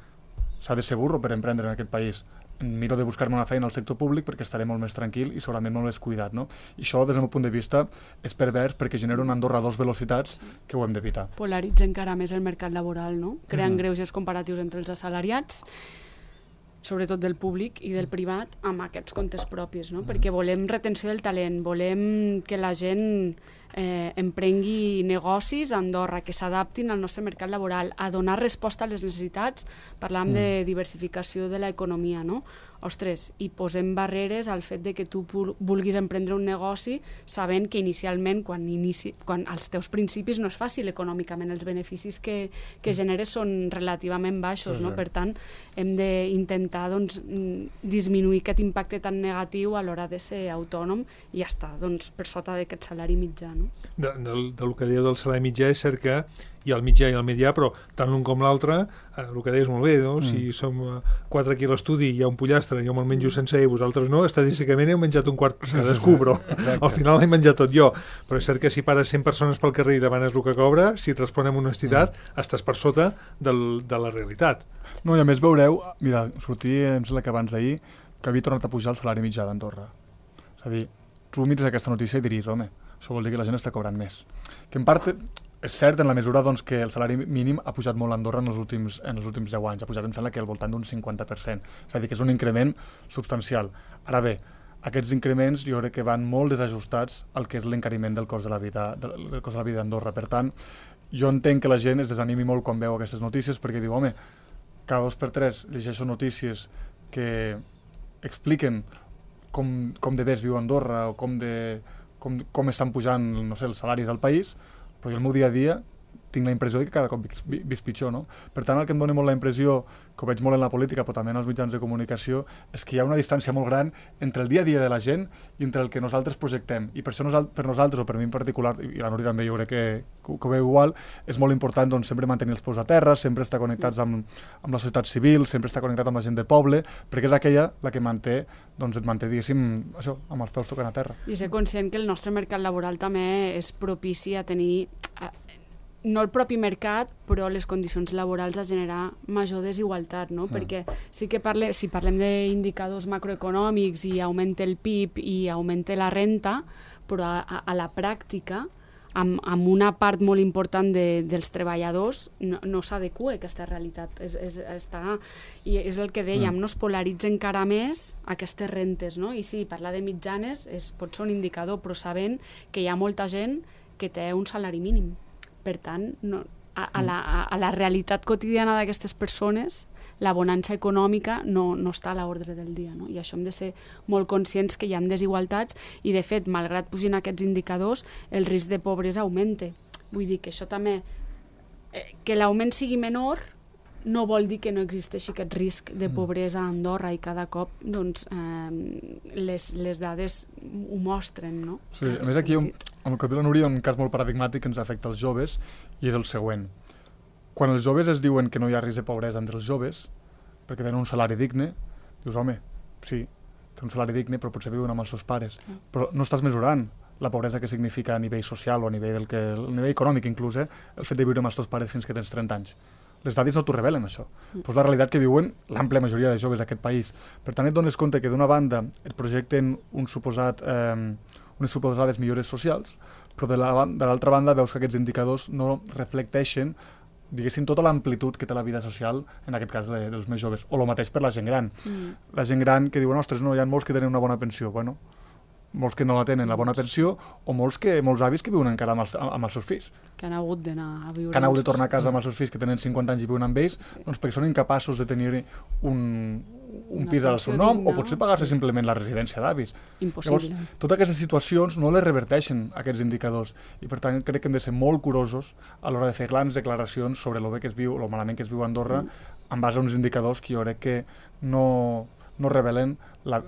[SPEAKER 4] s'ha de ser burro per emprendre en aquest país. Miro de buscar-me una feina al sector públic perquè estaré molt més tranquil i segurament molt més cuidat, no? I això, des del meu punt de vista, és pervers perquè genera una Andorra a dos velocitats que ho hem d'evitar.
[SPEAKER 3] Polaritza encara més el mercat laboral, no? Creant mm. greuges comparatius entre els assalariats, sobretot del públic i del privat, amb aquests comptes propis, no? Mm. Perquè volem retenció del talent, volem que la gent eh, emprengui negocis a Andorra, que s'adaptin al nostre mercat laboral, a donar resposta a les necessitats. Parlàvem mm. de diversificació de l'economia, no? ostres, i posem barreres al fet de que tu vulguis emprendre un negoci sabent que inicialment, quan, inici, quan els teus principis no és fàcil econòmicament, els beneficis que, que generes són relativament baixos, sí, no? Sí. Per tant, hem d'intentar doncs, disminuir aquest impacte tan negatiu a l'hora de ser autònom i ja està, doncs, per sota d'aquest salari mitjà. No?
[SPEAKER 2] De, de, del que dèieu del salari mitjà és cert que hi ha el mitjà i el mitjà, però tant l'un com l'altre, eh, el que deies molt bé, no? Mm. Si som quatre aquí a l'estudi i hi ha un pollastre, jo me'l menjo sense i vosaltres no, estadísticament heu menjat un quart cadascú, però al final l'he menjat tot jo. Però és cert que si pares cent persones pel carrer i demanes el que cobra, si et respon amb honestitat, mm. estàs per sota del, de la realitat.
[SPEAKER 4] No, i a més veureu, mira, sortia, em sembla que abans d'ahir, que havia tornat a pujar el salari mitjà d'Andorra. És a dir, tu mires aquesta notícia i diries, home, això vol dir que la gent està cobrant més. Que en part és cert en la mesura doncs, que el salari mínim ha pujat molt a Andorra en els últims, en els últims deu anys, ha pujat em sembla que al voltant d'un cinquanta per cent, és a dir, que és un increment substancial. Ara bé, aquests increments jo crec que van molt desajustats al que és l'encariment del cost de la vida del cost de la vida d'Andorra. Per tant, jo entenc que la gent es desanimi molt quan veu aquestes notícies perquè diu, home, cada dos per tres llegeixo notícies que expliquen com, com de bé es viu a Andorra o com de Com, com estan pujant, no sé, els salaris al país, però jo el meu dia a dia tinc la impressió que cada cop visc pitjor, no? Per tant, el que em dona molt la impressió, que ho veig molt en la política, però també en els mitjans de comunicació, és que hi ha una distància molt gran entre el dia a dia de la gent i entre el que nosaltres projectem. I per això nosal per nosaltres, o per mi en particular, i la Núria també jo crec que, que ho veu igual, és molt important doncs, sempre mantenir els peus a terra, sempre estar connectats amb, amb la societat civil, sempre estar connectat amb la gent de poble, perquè és aquella la que manté, doncs et manté, diguéssim, això, amb els peus tocant a terra.
[SPEAKER 3] I ser conscient que el nostre mercat laboral també és propici a tenir... A... no el propi mercat, però les condicions laborals a generar major desigualtat, no? Mm. Perquè sí que parle, si parlem d'indicadors macroeconòmics i augmenta el P I B i augmenta la renta, però a, a, a la pràctica, amb, amb una part molt important de, dels treballadors, no, no s'adequa a aquesta realitat. És, és, està, i és el que dèiem, mm. no es polaritza encara més aquestes rentes, no? I sí, parlar de mitjanes és, pot ser un indicador, però sabent que hi ha molta gent que té un salari mínim. Per tant, no, a, a, la, a la realitat quotidiana d'aquestes persones, la bonança econòmica no, no està a l'ordre del dia, no? I això hem de ser molt conscients que hi ha desigualtats i, de fet, malgrat pugin aquests indicadors, el risc de pobresa augmenta. Vull dir que això també... Eh, que l'augment sigui menor no vol dir que no existeixi aquest risc de pobresa a Andorra i cada cop doncs, eh, les, les dades ho mostren, no?
[SPEAKER 4] Sí, a més aquí, amb el que diu la Núria, un cas molt paradigmàtic que ens afecta als joves i és el següent. Quan els joves es diuen que no hi ha risc de pobresa entre els joves perquè tenen un salari digne, dius, home, sí, té un salari digne però potser viuen amb els seus pares, però no estàs mesurant la pobresa que significa a nivell social o a nivell, del que, a nivell econòmic inclús, eh, el fet de viure amb els teus pares fins que tens trenta anys. Les dades no t'ho revelen, això. Mm. Però és la realitat que viuen l'àmplia majoria de joves d'aquest país. Per tant, et dones compte que d'una banda et projecten un suposat, eh, unes suposades millores socials, però de l'altra banda veus que aquests indicadors no reflecteixen, diguéssim, tota l'amplitud que té la vida social, en aquest cas de, dels més joves. O el mateix per la gent gran. Mm. La gent gran que diuen, ostres, no, hi ha molts que tenen una bona pensió. Bueno, molts que no la tenen, la bona pensió, o molts, que, molts avis que viuen encara amb els, amb els seus fills.
[SPEAKER 3] Que han hagut d'anar a viure...
[SPEAKER 4] Que han hagut de tornar a casa amb els seus fills que tenen cinquanta anys i viuen amb ells, doncs perquè són incapaços de tenir un, un pis al seu nom, digna, o potser pagar-se sí. simplement la residència d'avis.
[SPEAKER 3] Impossible.
[SPEAKER 4] Llavors, totes aquestes situacions no les reverteixen aquests indicadors, i per tant crec que hem de ser molt curosos a l'hora de fer grans declaracions sobre el bé que es viu, el malament que es viu a Andorra, mm. en base a uns indicadors que jo crec que no, no revelen la...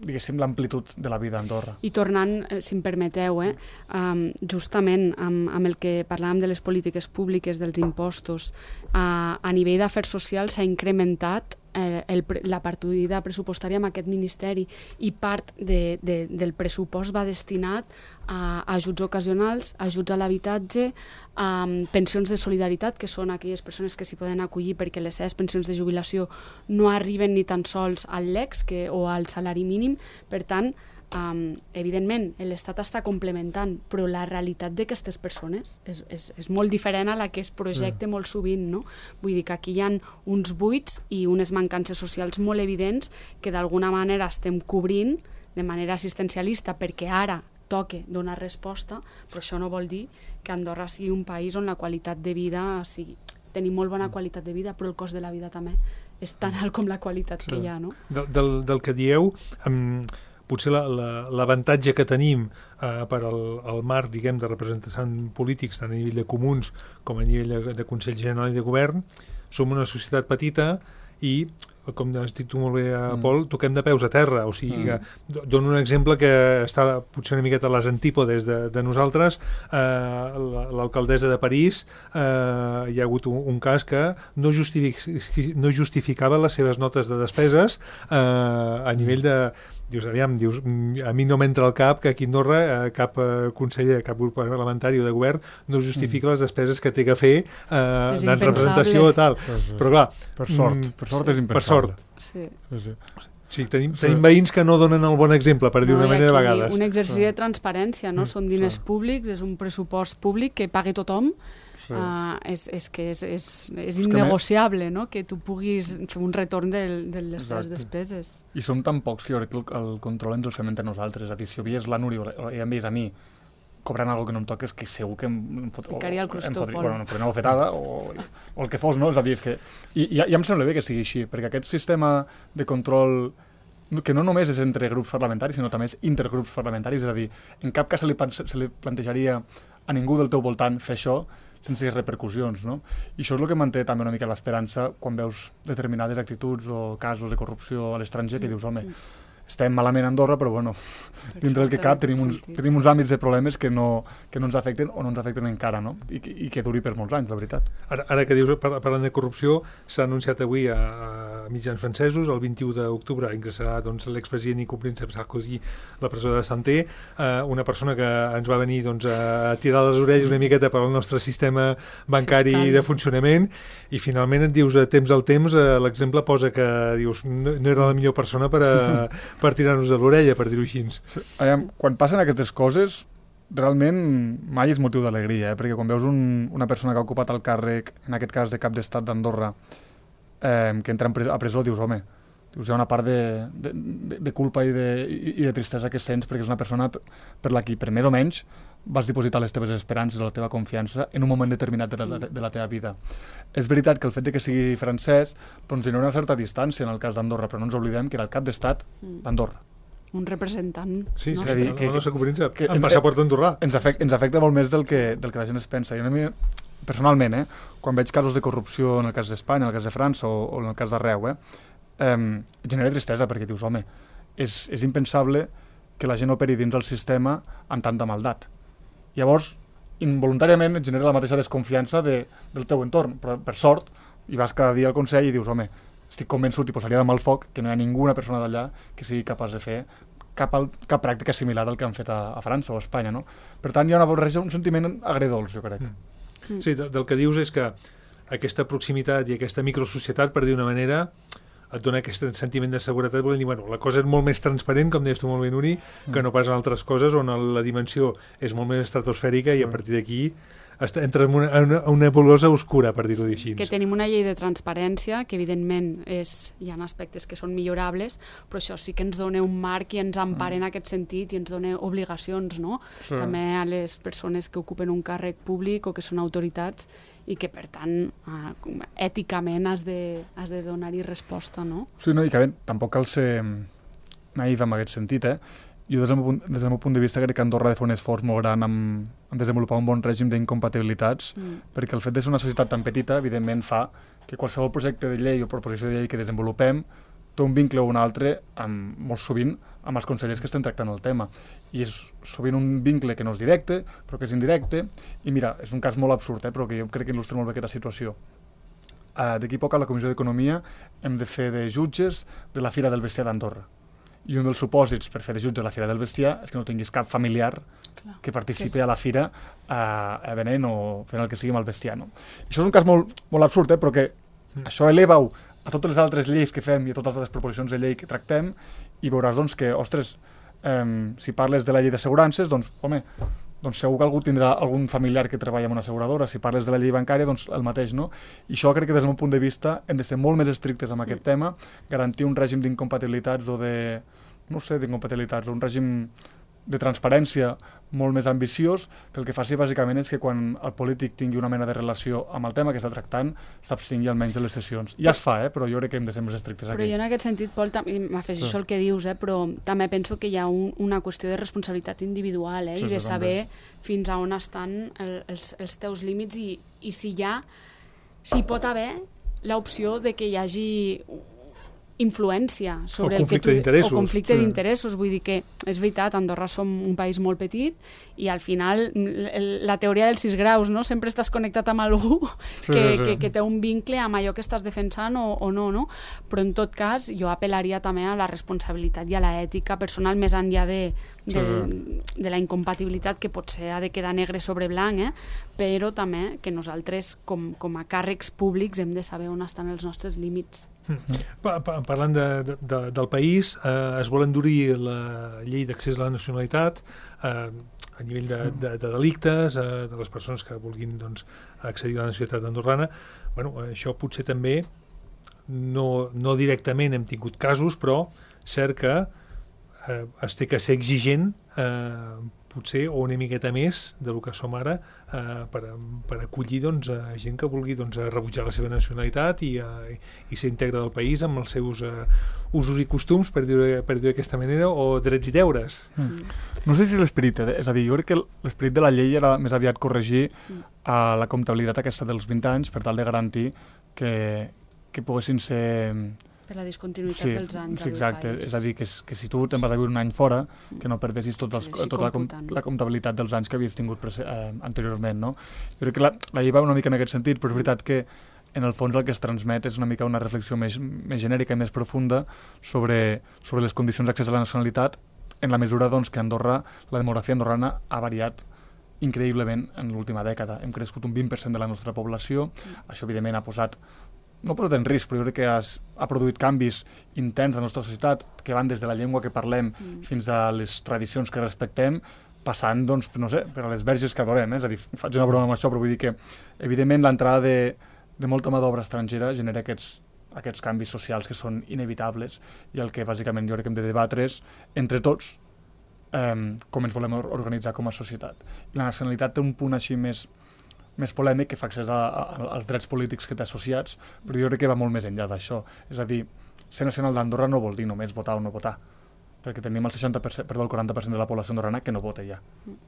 [SPEAKER 4] diguéssim, l'amplitud de la vida a Andorra.
[SPEAKER 3] I tornant, si em permeteu, eh, um, justament amb, amb el que parlàvem de les polítiques públiques, dels impostos, uh, a nivell d'afers socials s'ha incrementat eh, el, la partida pressupostària amb aquest ministeri i part de, de, del pressupost va destinat a ajuts ocasionals, ajuts a l'habitatge, a pensions de solidaritat, que són aquelles persones que s'hi poden acollir perquè les seves pensions de jubilació no arriben ni tan sols al L E X que, o al salari mínim. Per tant, um, evidentment, l'Estat està complementant, però la realitat d'aquestes persones és, és, és molt diferent a la que es projecta sí. molt sovint, no? Vull dir que aquí hi ha uns buits i unes mancances socials molt evidents que d'alguna manera estem cobrint de manera assistencialista perquè ara toque donar resposta, però això no vol dir que Andorra sigui un país on la qualitat de vida sigui... Tenim molt bona qualitat de vida, però el cost de la vida també és tan alt com la qualitat sí. que hi ha, no?
[SPEAKER 2] Del, del, del que dieu, um, potser l'avantatge la, la, que tenim uh, per al, al marc, diguem, de representants polítics, tant a nivell de comuns com a nivell de, de Consell General i de Govern, som una societat petita i, com has dit tu molt bé, mm. Pol, toquem de peus a terra, o sigui mm. que dono un exemple que està potser una miqueta a les antípodes de, de nosaltres. eh, l'alcaldessa de París, eh, hi ha hagut un, un cas que no, justific, no justificava les seves notes de despeses eh, a nivell de dius, aviam, dius, a mi no m'entra al cap que aquí a Andorra eh, cap eh, conseller, cap grup parlamentari o de govern no justifica mm. les despeses que té que fer eh, en representació o tal. Sí, sí. Però clar...
[SPEAKER 4] Per sort, mm, per sort és impensable.
[SPEAKER 2] Per sort.
[SPEAKER 3] Sí.
[SPEAKER 4] Sí, sí.
[SPEAKER 2] Sí, tenim, tenim veïns que no donen el bon exemple, per dir
[SPEAKER 3] no,
[SPEAKER 2] una manera de vegades.
[SPEAKER 3] Un exercici de transparència, no? Mm, Són diners sí. públics, és un pressupost públic que paga tothom. Sí. Uh, és, és que és, és, és innegociable, no? Que tu puguis fer un retorn de, de les teves despeses.
[SPEAKER 4] I som tan pocs que jo crec que el, el control ens el fem entre nosaltres. És a dir, si ho veies la Núria o ja em veies a mi cobrant alguna cosa que no em toca, és que segur que em, em fot...
[SPEAKER 3] Picaria el crostó,
[SPEAKER 4] Pol. Bueno, em fotré una bofetada o, o el que fos, no? És a dir, és que... I ja, ja em sembla bé que sigui així, perquè aquest sistema de control que no només és entre grups parlamentaris, sinó també és intergrups parlamentaris, és a dir, en cap cas se li, se li plantejaria a ningú del teu voltant fer això sense repercussions, no? I això és el que manté també una mica l'esperança quan veus determinades actituds o casos de corrupció a l'estranger que dius, home, estem malament a Andorra, però bueno, dintre del que cap tenim uns, tenim uns àmbits de problemes que no, que no ens afecten o no ens afecten encara, no? I, i que duri per molts anys, la veritat.
[SPEAKER 2] Ara, ara que dius, parlant de corrupció, s'ha anunciat avui a, a mitjans francesos, el vint-i-u d'octubre ingressarà doncs, l'expresident i copríncep Sarkozy a la presó de Santé, eh, una persona que ens va venir doncs, a tirar les orelles una miqueta per al nostre sistema bancari Fiscal. De funcionament, i finalment et dius, a temps al temps, eh, l'exemple posa que dius, no, no era la millor persona per a per tirar-nos de l'orella, per dir-ho així.
[SPEAKER 4] Aviam, quan passen aquestes coses, realment mai és motiu d'alegria, eh? Perquè quan veus un, una persona que ha ocupat el càrrec, en aquest cas de cap d'estat d'Andorra, eh, que entra a presó, dius, home, dius, hi ha una part de, de, de, de culpa i de, i de tristesa que sents, perquè és una persona per la qui, per més o menys, vas dipositar les teves esperances, la teva confiança en un moment determinat de la, de la teva vida. És veritat que el fet de que sigui francès doncs hi ha una certa distància en el cas d'Andorra, però no ens oblidem que era el cap d'estat d'Andorra.
[SPEAKER 3] Un representant
[SPEAKER 2] sí,
[SPEAKER 3] nostre.
[SPEAKER 2] Sí, que, no, no que, que, en passaport andorrà.
[SPEAKER 4] Ens afecta, ens afecta molt més del que, del que la gent es pensa. I a mi, personalment, eh, quan veig casos de corrupció en el cas d'Espanya, en el cas de França o, o en el cas d'arreu, eh, eh, genera tristesa perquè dius, home, és, és impensable que la gent operi dins del sistema amb tanta maldat. Llavors, involuntàriament et genera la mateixa desconfiança de, del teu entorn, però per sort, i vas cada dia al Consell i dius, home, estic convençut i posaria de mal foc que no hi ha ninguna persona d'allà que sigui capaç de fer cap, al, cap pràctica similar al que han fet a, a França o a Espanya, no? Per tant, hi ha una barreja, un sentiment agredolç, jo crec.
[SPEAKER 2] Mm. Sí, del, del que dius és que aquesta proximitat i aquesta microsocietat, per dir una manera, et dona aquest sentiment de seguretat, volent dir, bueno, la cosa és molt més transparent, com deies tu molt bé, Nuri, que no pas en altres coses on la dimensió és molt més estratosfèrica i a partir d'aquí entra en una, una, una nebulosa oscura, per dir-ho així.
[SPEAKER 3] Que tenim una llei de transparència que evidentment és, hi ha aspectes que són millorables, però això sí que ens dona un marc i ens empara en aquest sentit i ens dona obligacions, no? Sí. També a les persones que ocupen un càrrec públic o que són autoritats i que, per tant, eh, èticament has de, has de donar-hi resposta, no?
[SPEAKER 4] Sí, no, i que bé, tampoc cal ser naïf en aquest sentit, eh? Jo, des del, meu, des del meu punt de vista, crec que Andorra ha de fer un esforç molt gran en, en desenvolupar un bon règim d'incompatibilitats, mm. perquè el fet de ser una societat tan petita, evidentment, fa que qualsevol projecte de llei o proposició de llei que desenvolupem té un vincle o un altre, amb, molt sovint, amb els consellers que estem tractant el tema. I és sovint un vincle que no és directe, però que és indirecte, i mira, és un cas molt absurd, eh, però que jo crec que il·lustra molt bé aquesta situació. Uh, D'aquí poc a la Comissió d'Economia hem de fer de jutges de la Fira del Bestiar d'Andorra. I un dels supòsits per fer de jutge a la Fira del Bestiar és que no tinguis cap familiar Clar, que participi que és... a la fira uh, venent o fent el que sigui amb el bestiar. No? Això és un cas molt, molt absurd, eh, però que mm. això eleva-ho a totes les altres lleis que fem i a totes les altres proposicions de llei que tractem i veuràs doncs, que, ostres, um, si parles de la llei d'assegurances, doncs, home, doncs segur que algú tindrà algun familiar que treballa en una asseguradora. Si parles de la llei bancària, doncs el mateix, no? I això crec que des del meu punt de vista hem de ser molt més estrictes amb aquest mm. tema, garantir un règim d'incompatibilitats o de, no sé, d'incompatibilitats, un règim de transparència molt més ambiciós, que el que faci bàsicament és que quan el polític tingui una mena de relació amb el tema que està tractant, s'abstingui almenys de les sessions. Ja es fa, eh? Però jo crec que hem de ser més estrictes aquí.
[SPEAKER 3] Però jo en aquest sentit, Pol, m'afegeixo sí. el que dius, eh? Però també penso que hi ha un, una qüestió de responsabilitat individual, eh? Sí, I de saber també. fins a on estan el, els, els teus límits i, i si hi ha, si pot haver l'opció de que hi hagi influència sobre
[SPEAKER 2] o conflicte
[SPEAKER 3] el que tu... O conflicte
[SPEAKER 2] sí.
[SPEAKER 3] d'interessos. Vull dir que, és veritat, Andorra som un país molt petit i al final la teoria dels sis graus, no? Sempre estàs connectat amb algú
[SPEAKER 4] sí,
[SPEAKER 3] que,
[SPEAKER 4] sí, sí.
[SPEAKER 3] que, que té un vincle amb allò que estàs defensant o, o no, no? Però en tot cas jo apel·laria també a la responsabilitat i a l'ètica personal més enllà de, de, sí. de la incompatibilitat que potser ha de quedar negre sobre blanc, eh? Però també que nosaltres com, com a càrrecs públics hem de saber on estan els nostres límits.
[SPEAKER 2] Pa, pa, parlant de, de, del país, eh, es vol endurir la llei d'accés a la nacionalitat eh, a nivell de, de, de delictes, eh, de les persones que vulguin doncs, accedir a la nacionalitat andorrana. Bueno, això potser també, no, no directament hem tingut casos, però cert que eh, es té que ser exigent eh, potser o una miqueta més del que som ara eh, per, per acollir doncs, a gent que vulgui doncs, rebutjar la seva nacionalitat i, eh, i ser íntegre del país amb els seus eh, usos i costums, per dir-ho per dir d'aquesta manera, o drets i deures.
[SPEAKER 4] Mm. No sé si l'esperit, eh? és a dir, jo crec que l'esperit de la llei era més aviat corregir mm. a la comptabilitat aquesta dels vint anys per tal de garantir que, que poguessin ser...
[SPEAKER 3] Per la discontinuïtat
[SPEAKER 4] sí,
[SPEAKER 3] dels anys
[SPEAKER 4] sí, exacte.
[SPEAKER 3] al país.
[SPEAKER 4] És a dir, que, que si tu te'n vas a viure un any fora, que no perdessis tot els, sí, tota la, com, la comptabilitat dels anys que havies tingut eh, anteriorment. No? Jo crec que la, la llei va una mica en aquest sentit, però és veritat que en el fons el que es transmet és una mica una reflexió més, més genèrica i més profunda sobre, sobre les condicions d'accés a la nacionalitat, en la mesura doncs, que Andorra, la demografia andorrana ha variat increïblement en l'última dècada. Hem crescut un vint per cent de la nostra població, mm. això evidentment ha posat no ha posat en risc, però jo crec que has, ha produït canvis intens a la nostra societat que van des de la llengua que parlem mm. fins a les tradicions que respectem, passant, doncs, no sé, per a les verges que adorem. Eh? És a dir, faig una broma amb això, però vull dir que, evidentment, l'entrada de, de molta mà d'obra estrangera genera aquests, aquests canvis socials que són inevitables i el que, bàsicament, jo crec que hem de debatre és, entre tots, eh, com ens volem organitzar com a societat. I la nacionalitat té un punt així més més polèmic que fa accés a, a, als drets polítics que té associats, però jo crec que va molt més enllà d'això. És a dir, ser nacional d'Andorra no vol dir només votar o no votar, perquè tenim el seixanta per cent, perdó, el quaranta per cent de la població andorrana que no vota ja,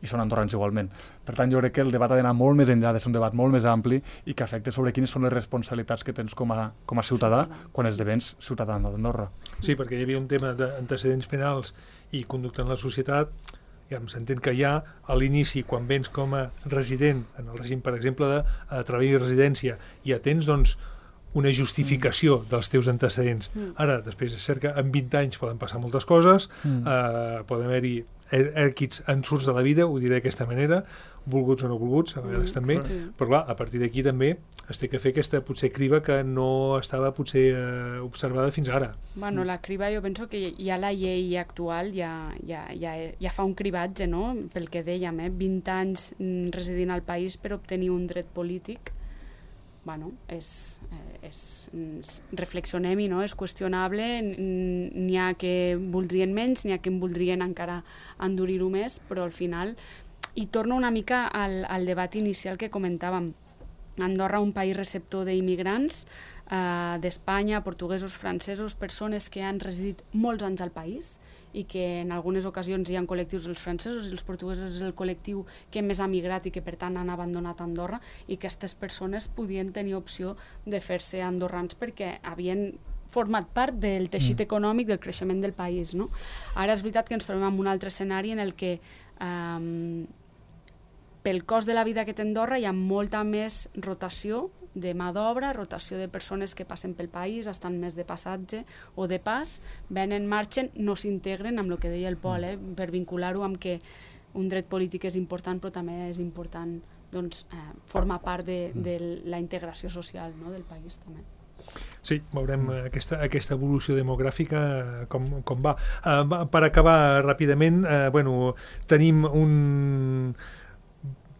[SPEAKER 4] i són andorrans igualment. Per tant, jo crec que el debat ha d'anar molt més enllà, de ser un debat molt més ampli i que afecta sobre quines són les responsabilitats que tens com a, com a ciutadà quan esdevens ciutadà d'Andorra.
[SPEAKER 2] Sí, perquè hi havia un tema d'antecedents penals i conducta en la societat. Ja s'entén que ja a l'inici, quan vens com a resident en el règim, per exemple, de uh, treball i residència, ja tens doncs, una justificació mm. dels teus antecedents. Mm. Ara, després és cert que en vint anys poden passar moltes coses, mm. uh, poden haver-hi èquids ensurts de la vida, ho diré d'aquesta manera, volguts o no volguts, a vegades mm. també, sí. Però clar, a partir d'aquí també es té que fer aquesta potser criba que no estava potser eh, observada fins ara.
[SPEAKER 3] Bueno, la criba jo penso que ja la llei actual ja, ja, ja, ja fa un cribatge, no? Pel que dèiem, eh? vint anys residint al país per obtenir un dret polític. Bueno, és, és, reflexionem-hi, no? És qüestionable, n'hi ha que voldrien menys, n'hi ha que en voldrien encara endurir-ho més, però al final, i torno una mica al, al debat inicial que comentàvem, Andorra, un país receptor d'immigrants eh, d'Espanya, portuguesos, francesos, persones que han residit molts anys al país i que en algunes ocasions hi ha col·lectius, els francesos i els portuguesos és el col·lectiu que més ha migrat i que per tant han abandonat Andorra, i que aquestes persones podien tenir opció de fer-se andorrans perquè havien format part del teixit econòmic del creixement del país. No? Ara és veritat que ens trobem en un altre escenari en el que eh, pel cost de la vida que té Andorra hi ha molta més rotació de mà d'obra, rotació de persones que passen pel país, estan més de passatge o de pas, venen, marxen, no s'integren amb el que deia el Pol, eh, per vincular-ho amb que un dret polític és important, però també és important doncs, eh, formar part de, de la integració social, no, del país també.
[SPEAKER 2] Sí, veurem aquesta, aquesta evolució demogràfica com, com va. Uh, per acabar ràpidament, uh, bueno, tenim un...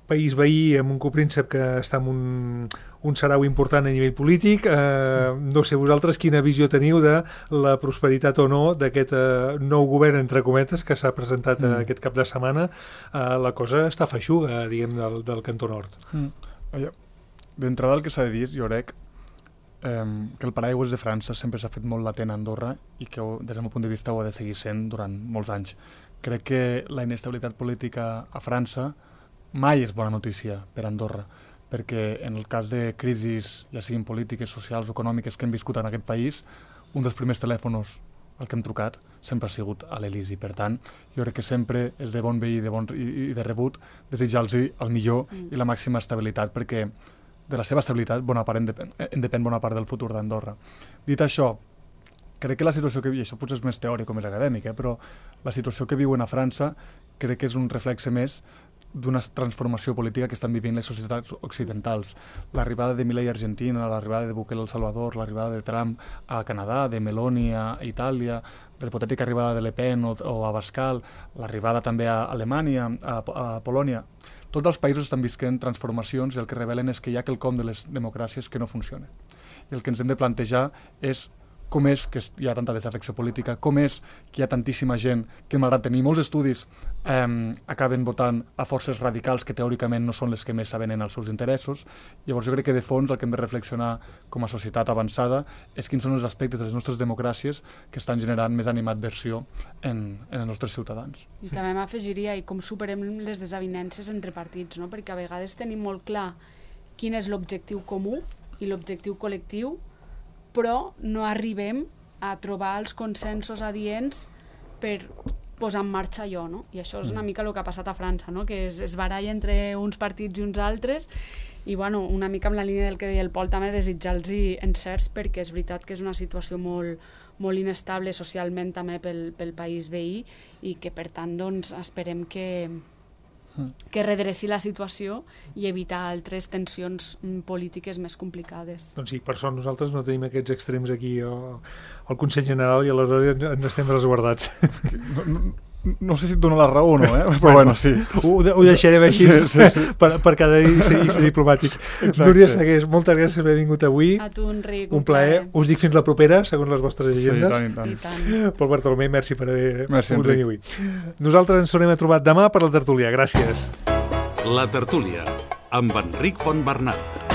[SPEAKER 2] país veí amb un copríncep que està en un, un sarau important a nivell polític. Eh, no sé vosaltres quina visió teniu de la prosperitat o no d'aquest eh, nou govern, entre cometes, que s'ha presentat mm. aquest cap de setmana. Eh, la cosa està feixuga, diguem, del, del Cantó Nord.
[SPEAKER 4] Mm. D'entrada el que s'ha de dir, jo crec, eh, que el paraigües de França sempre s'ha fet molt latent a Andorra i que des del meu punt de vista ho ha de seguir sent durant molts anys. Crec que la inestabilitat política a França mai és bona notícia per a Andorra, perquè en el cas de crisis, ja siguin polítiques, socials o econòmiques que hem viscut en aquest país, un dels primers telèfons al que hem trucat sempre ha sigut a l'Elisi. Per tant, jo crec que sempre és de bon veí de bon, i, i de rebut desitjar-los el millor mm. i la màxima estabilitat, perquè de la seva estabilitat bona part en depèn, en depèn bona part del futur d'Andorra. Dit això, crec que la situació que viu, això potser és més teòric o més acadèmic, eh, però la situació que viuen a França crec que és un reflexe més d'una transformació política que estan vivint les societats occidentals. L'arribada de Milei a Argentina, l'arribada de Bukele a El Salvador, l'arribada de Trump a Canadà, de Meloni a Itàlia, de l'hipotètica arribada de Le Pen o, o a Bascal, l'arribada també a Alemanya, a, a Polònia. Tots els països estan visquent transformacions i el que revelen és que hi ha quelcom de les democràcies que no funciona. I el que ens hem de plantejar és com és que hi ha tanta desafecció política, com és que hi ha tantíssima gent que, malgrat tenir molts estudis, eh, acaben votant a forces radicals que teòricament no són les que més saben en els seus interessos. Llavors jo crec que de fons el que hem de reflexionar com a societat avançada és quins són els aspectes de les nostres democràcies que estan generant més animadversió en, en els nostres ciutadans.
[SPEAKER 3] I també m'afegiria i com superem les desavinences entre partits, no? Perquè a vegades tenim molt clar quin és l'objectiu comú i l'objectiu col·lectiu, però no arribem a trobar els consensos adients per posar en marxa allò, no? I això és una mica el que ha passat a França, no? Que es, es baralla entre uns partits i uns altres i, bueno, una mica amb la línia del que deia el Pol, també desitjar-los encerts, perquè és veritat que és una situació molt, molt inestable socialment també pel, pel país veí i que, per tant, doncs, esperem que que redreci la situació i evitar altres tensions polítiques més complicades.
[SPEAKER 2] Doncs sí, per sort nosaltres no tenim aquests extrems aquí al, al Consell General i aleshores ens estem resguardats.
[SPEAKER 4] No, no, no sé si et dona la raó o no, eh? Però bueno, sí.
[SPEAKER 2] Ho, ho deixarem així sí, sí, sí. Per, per cada dia i ser, i ser diplomàtics. Exacte. Núria Segués, moltes gràcies per haver vingut avui.
[SPEAKER 3] A tu, Enric.
[SPEAKER 2] Un plaer. plaer. Us dic fins la propera, segons les vostres agendes.
[SPEAKER 4] Sí, tant, i tant.
[SPEAKER 3] I tant.
[SPEAKER 2] Pol Bartolomé, merci per haver
[SPEAKER 4] merci,
[SPEAKER 2] pogut venir avui. Nosaltres ens tornem a trobar demà per la tertúlia. Gràcies.
[SPEAKER 1] La tertúlia, amb Enric Fontbernat.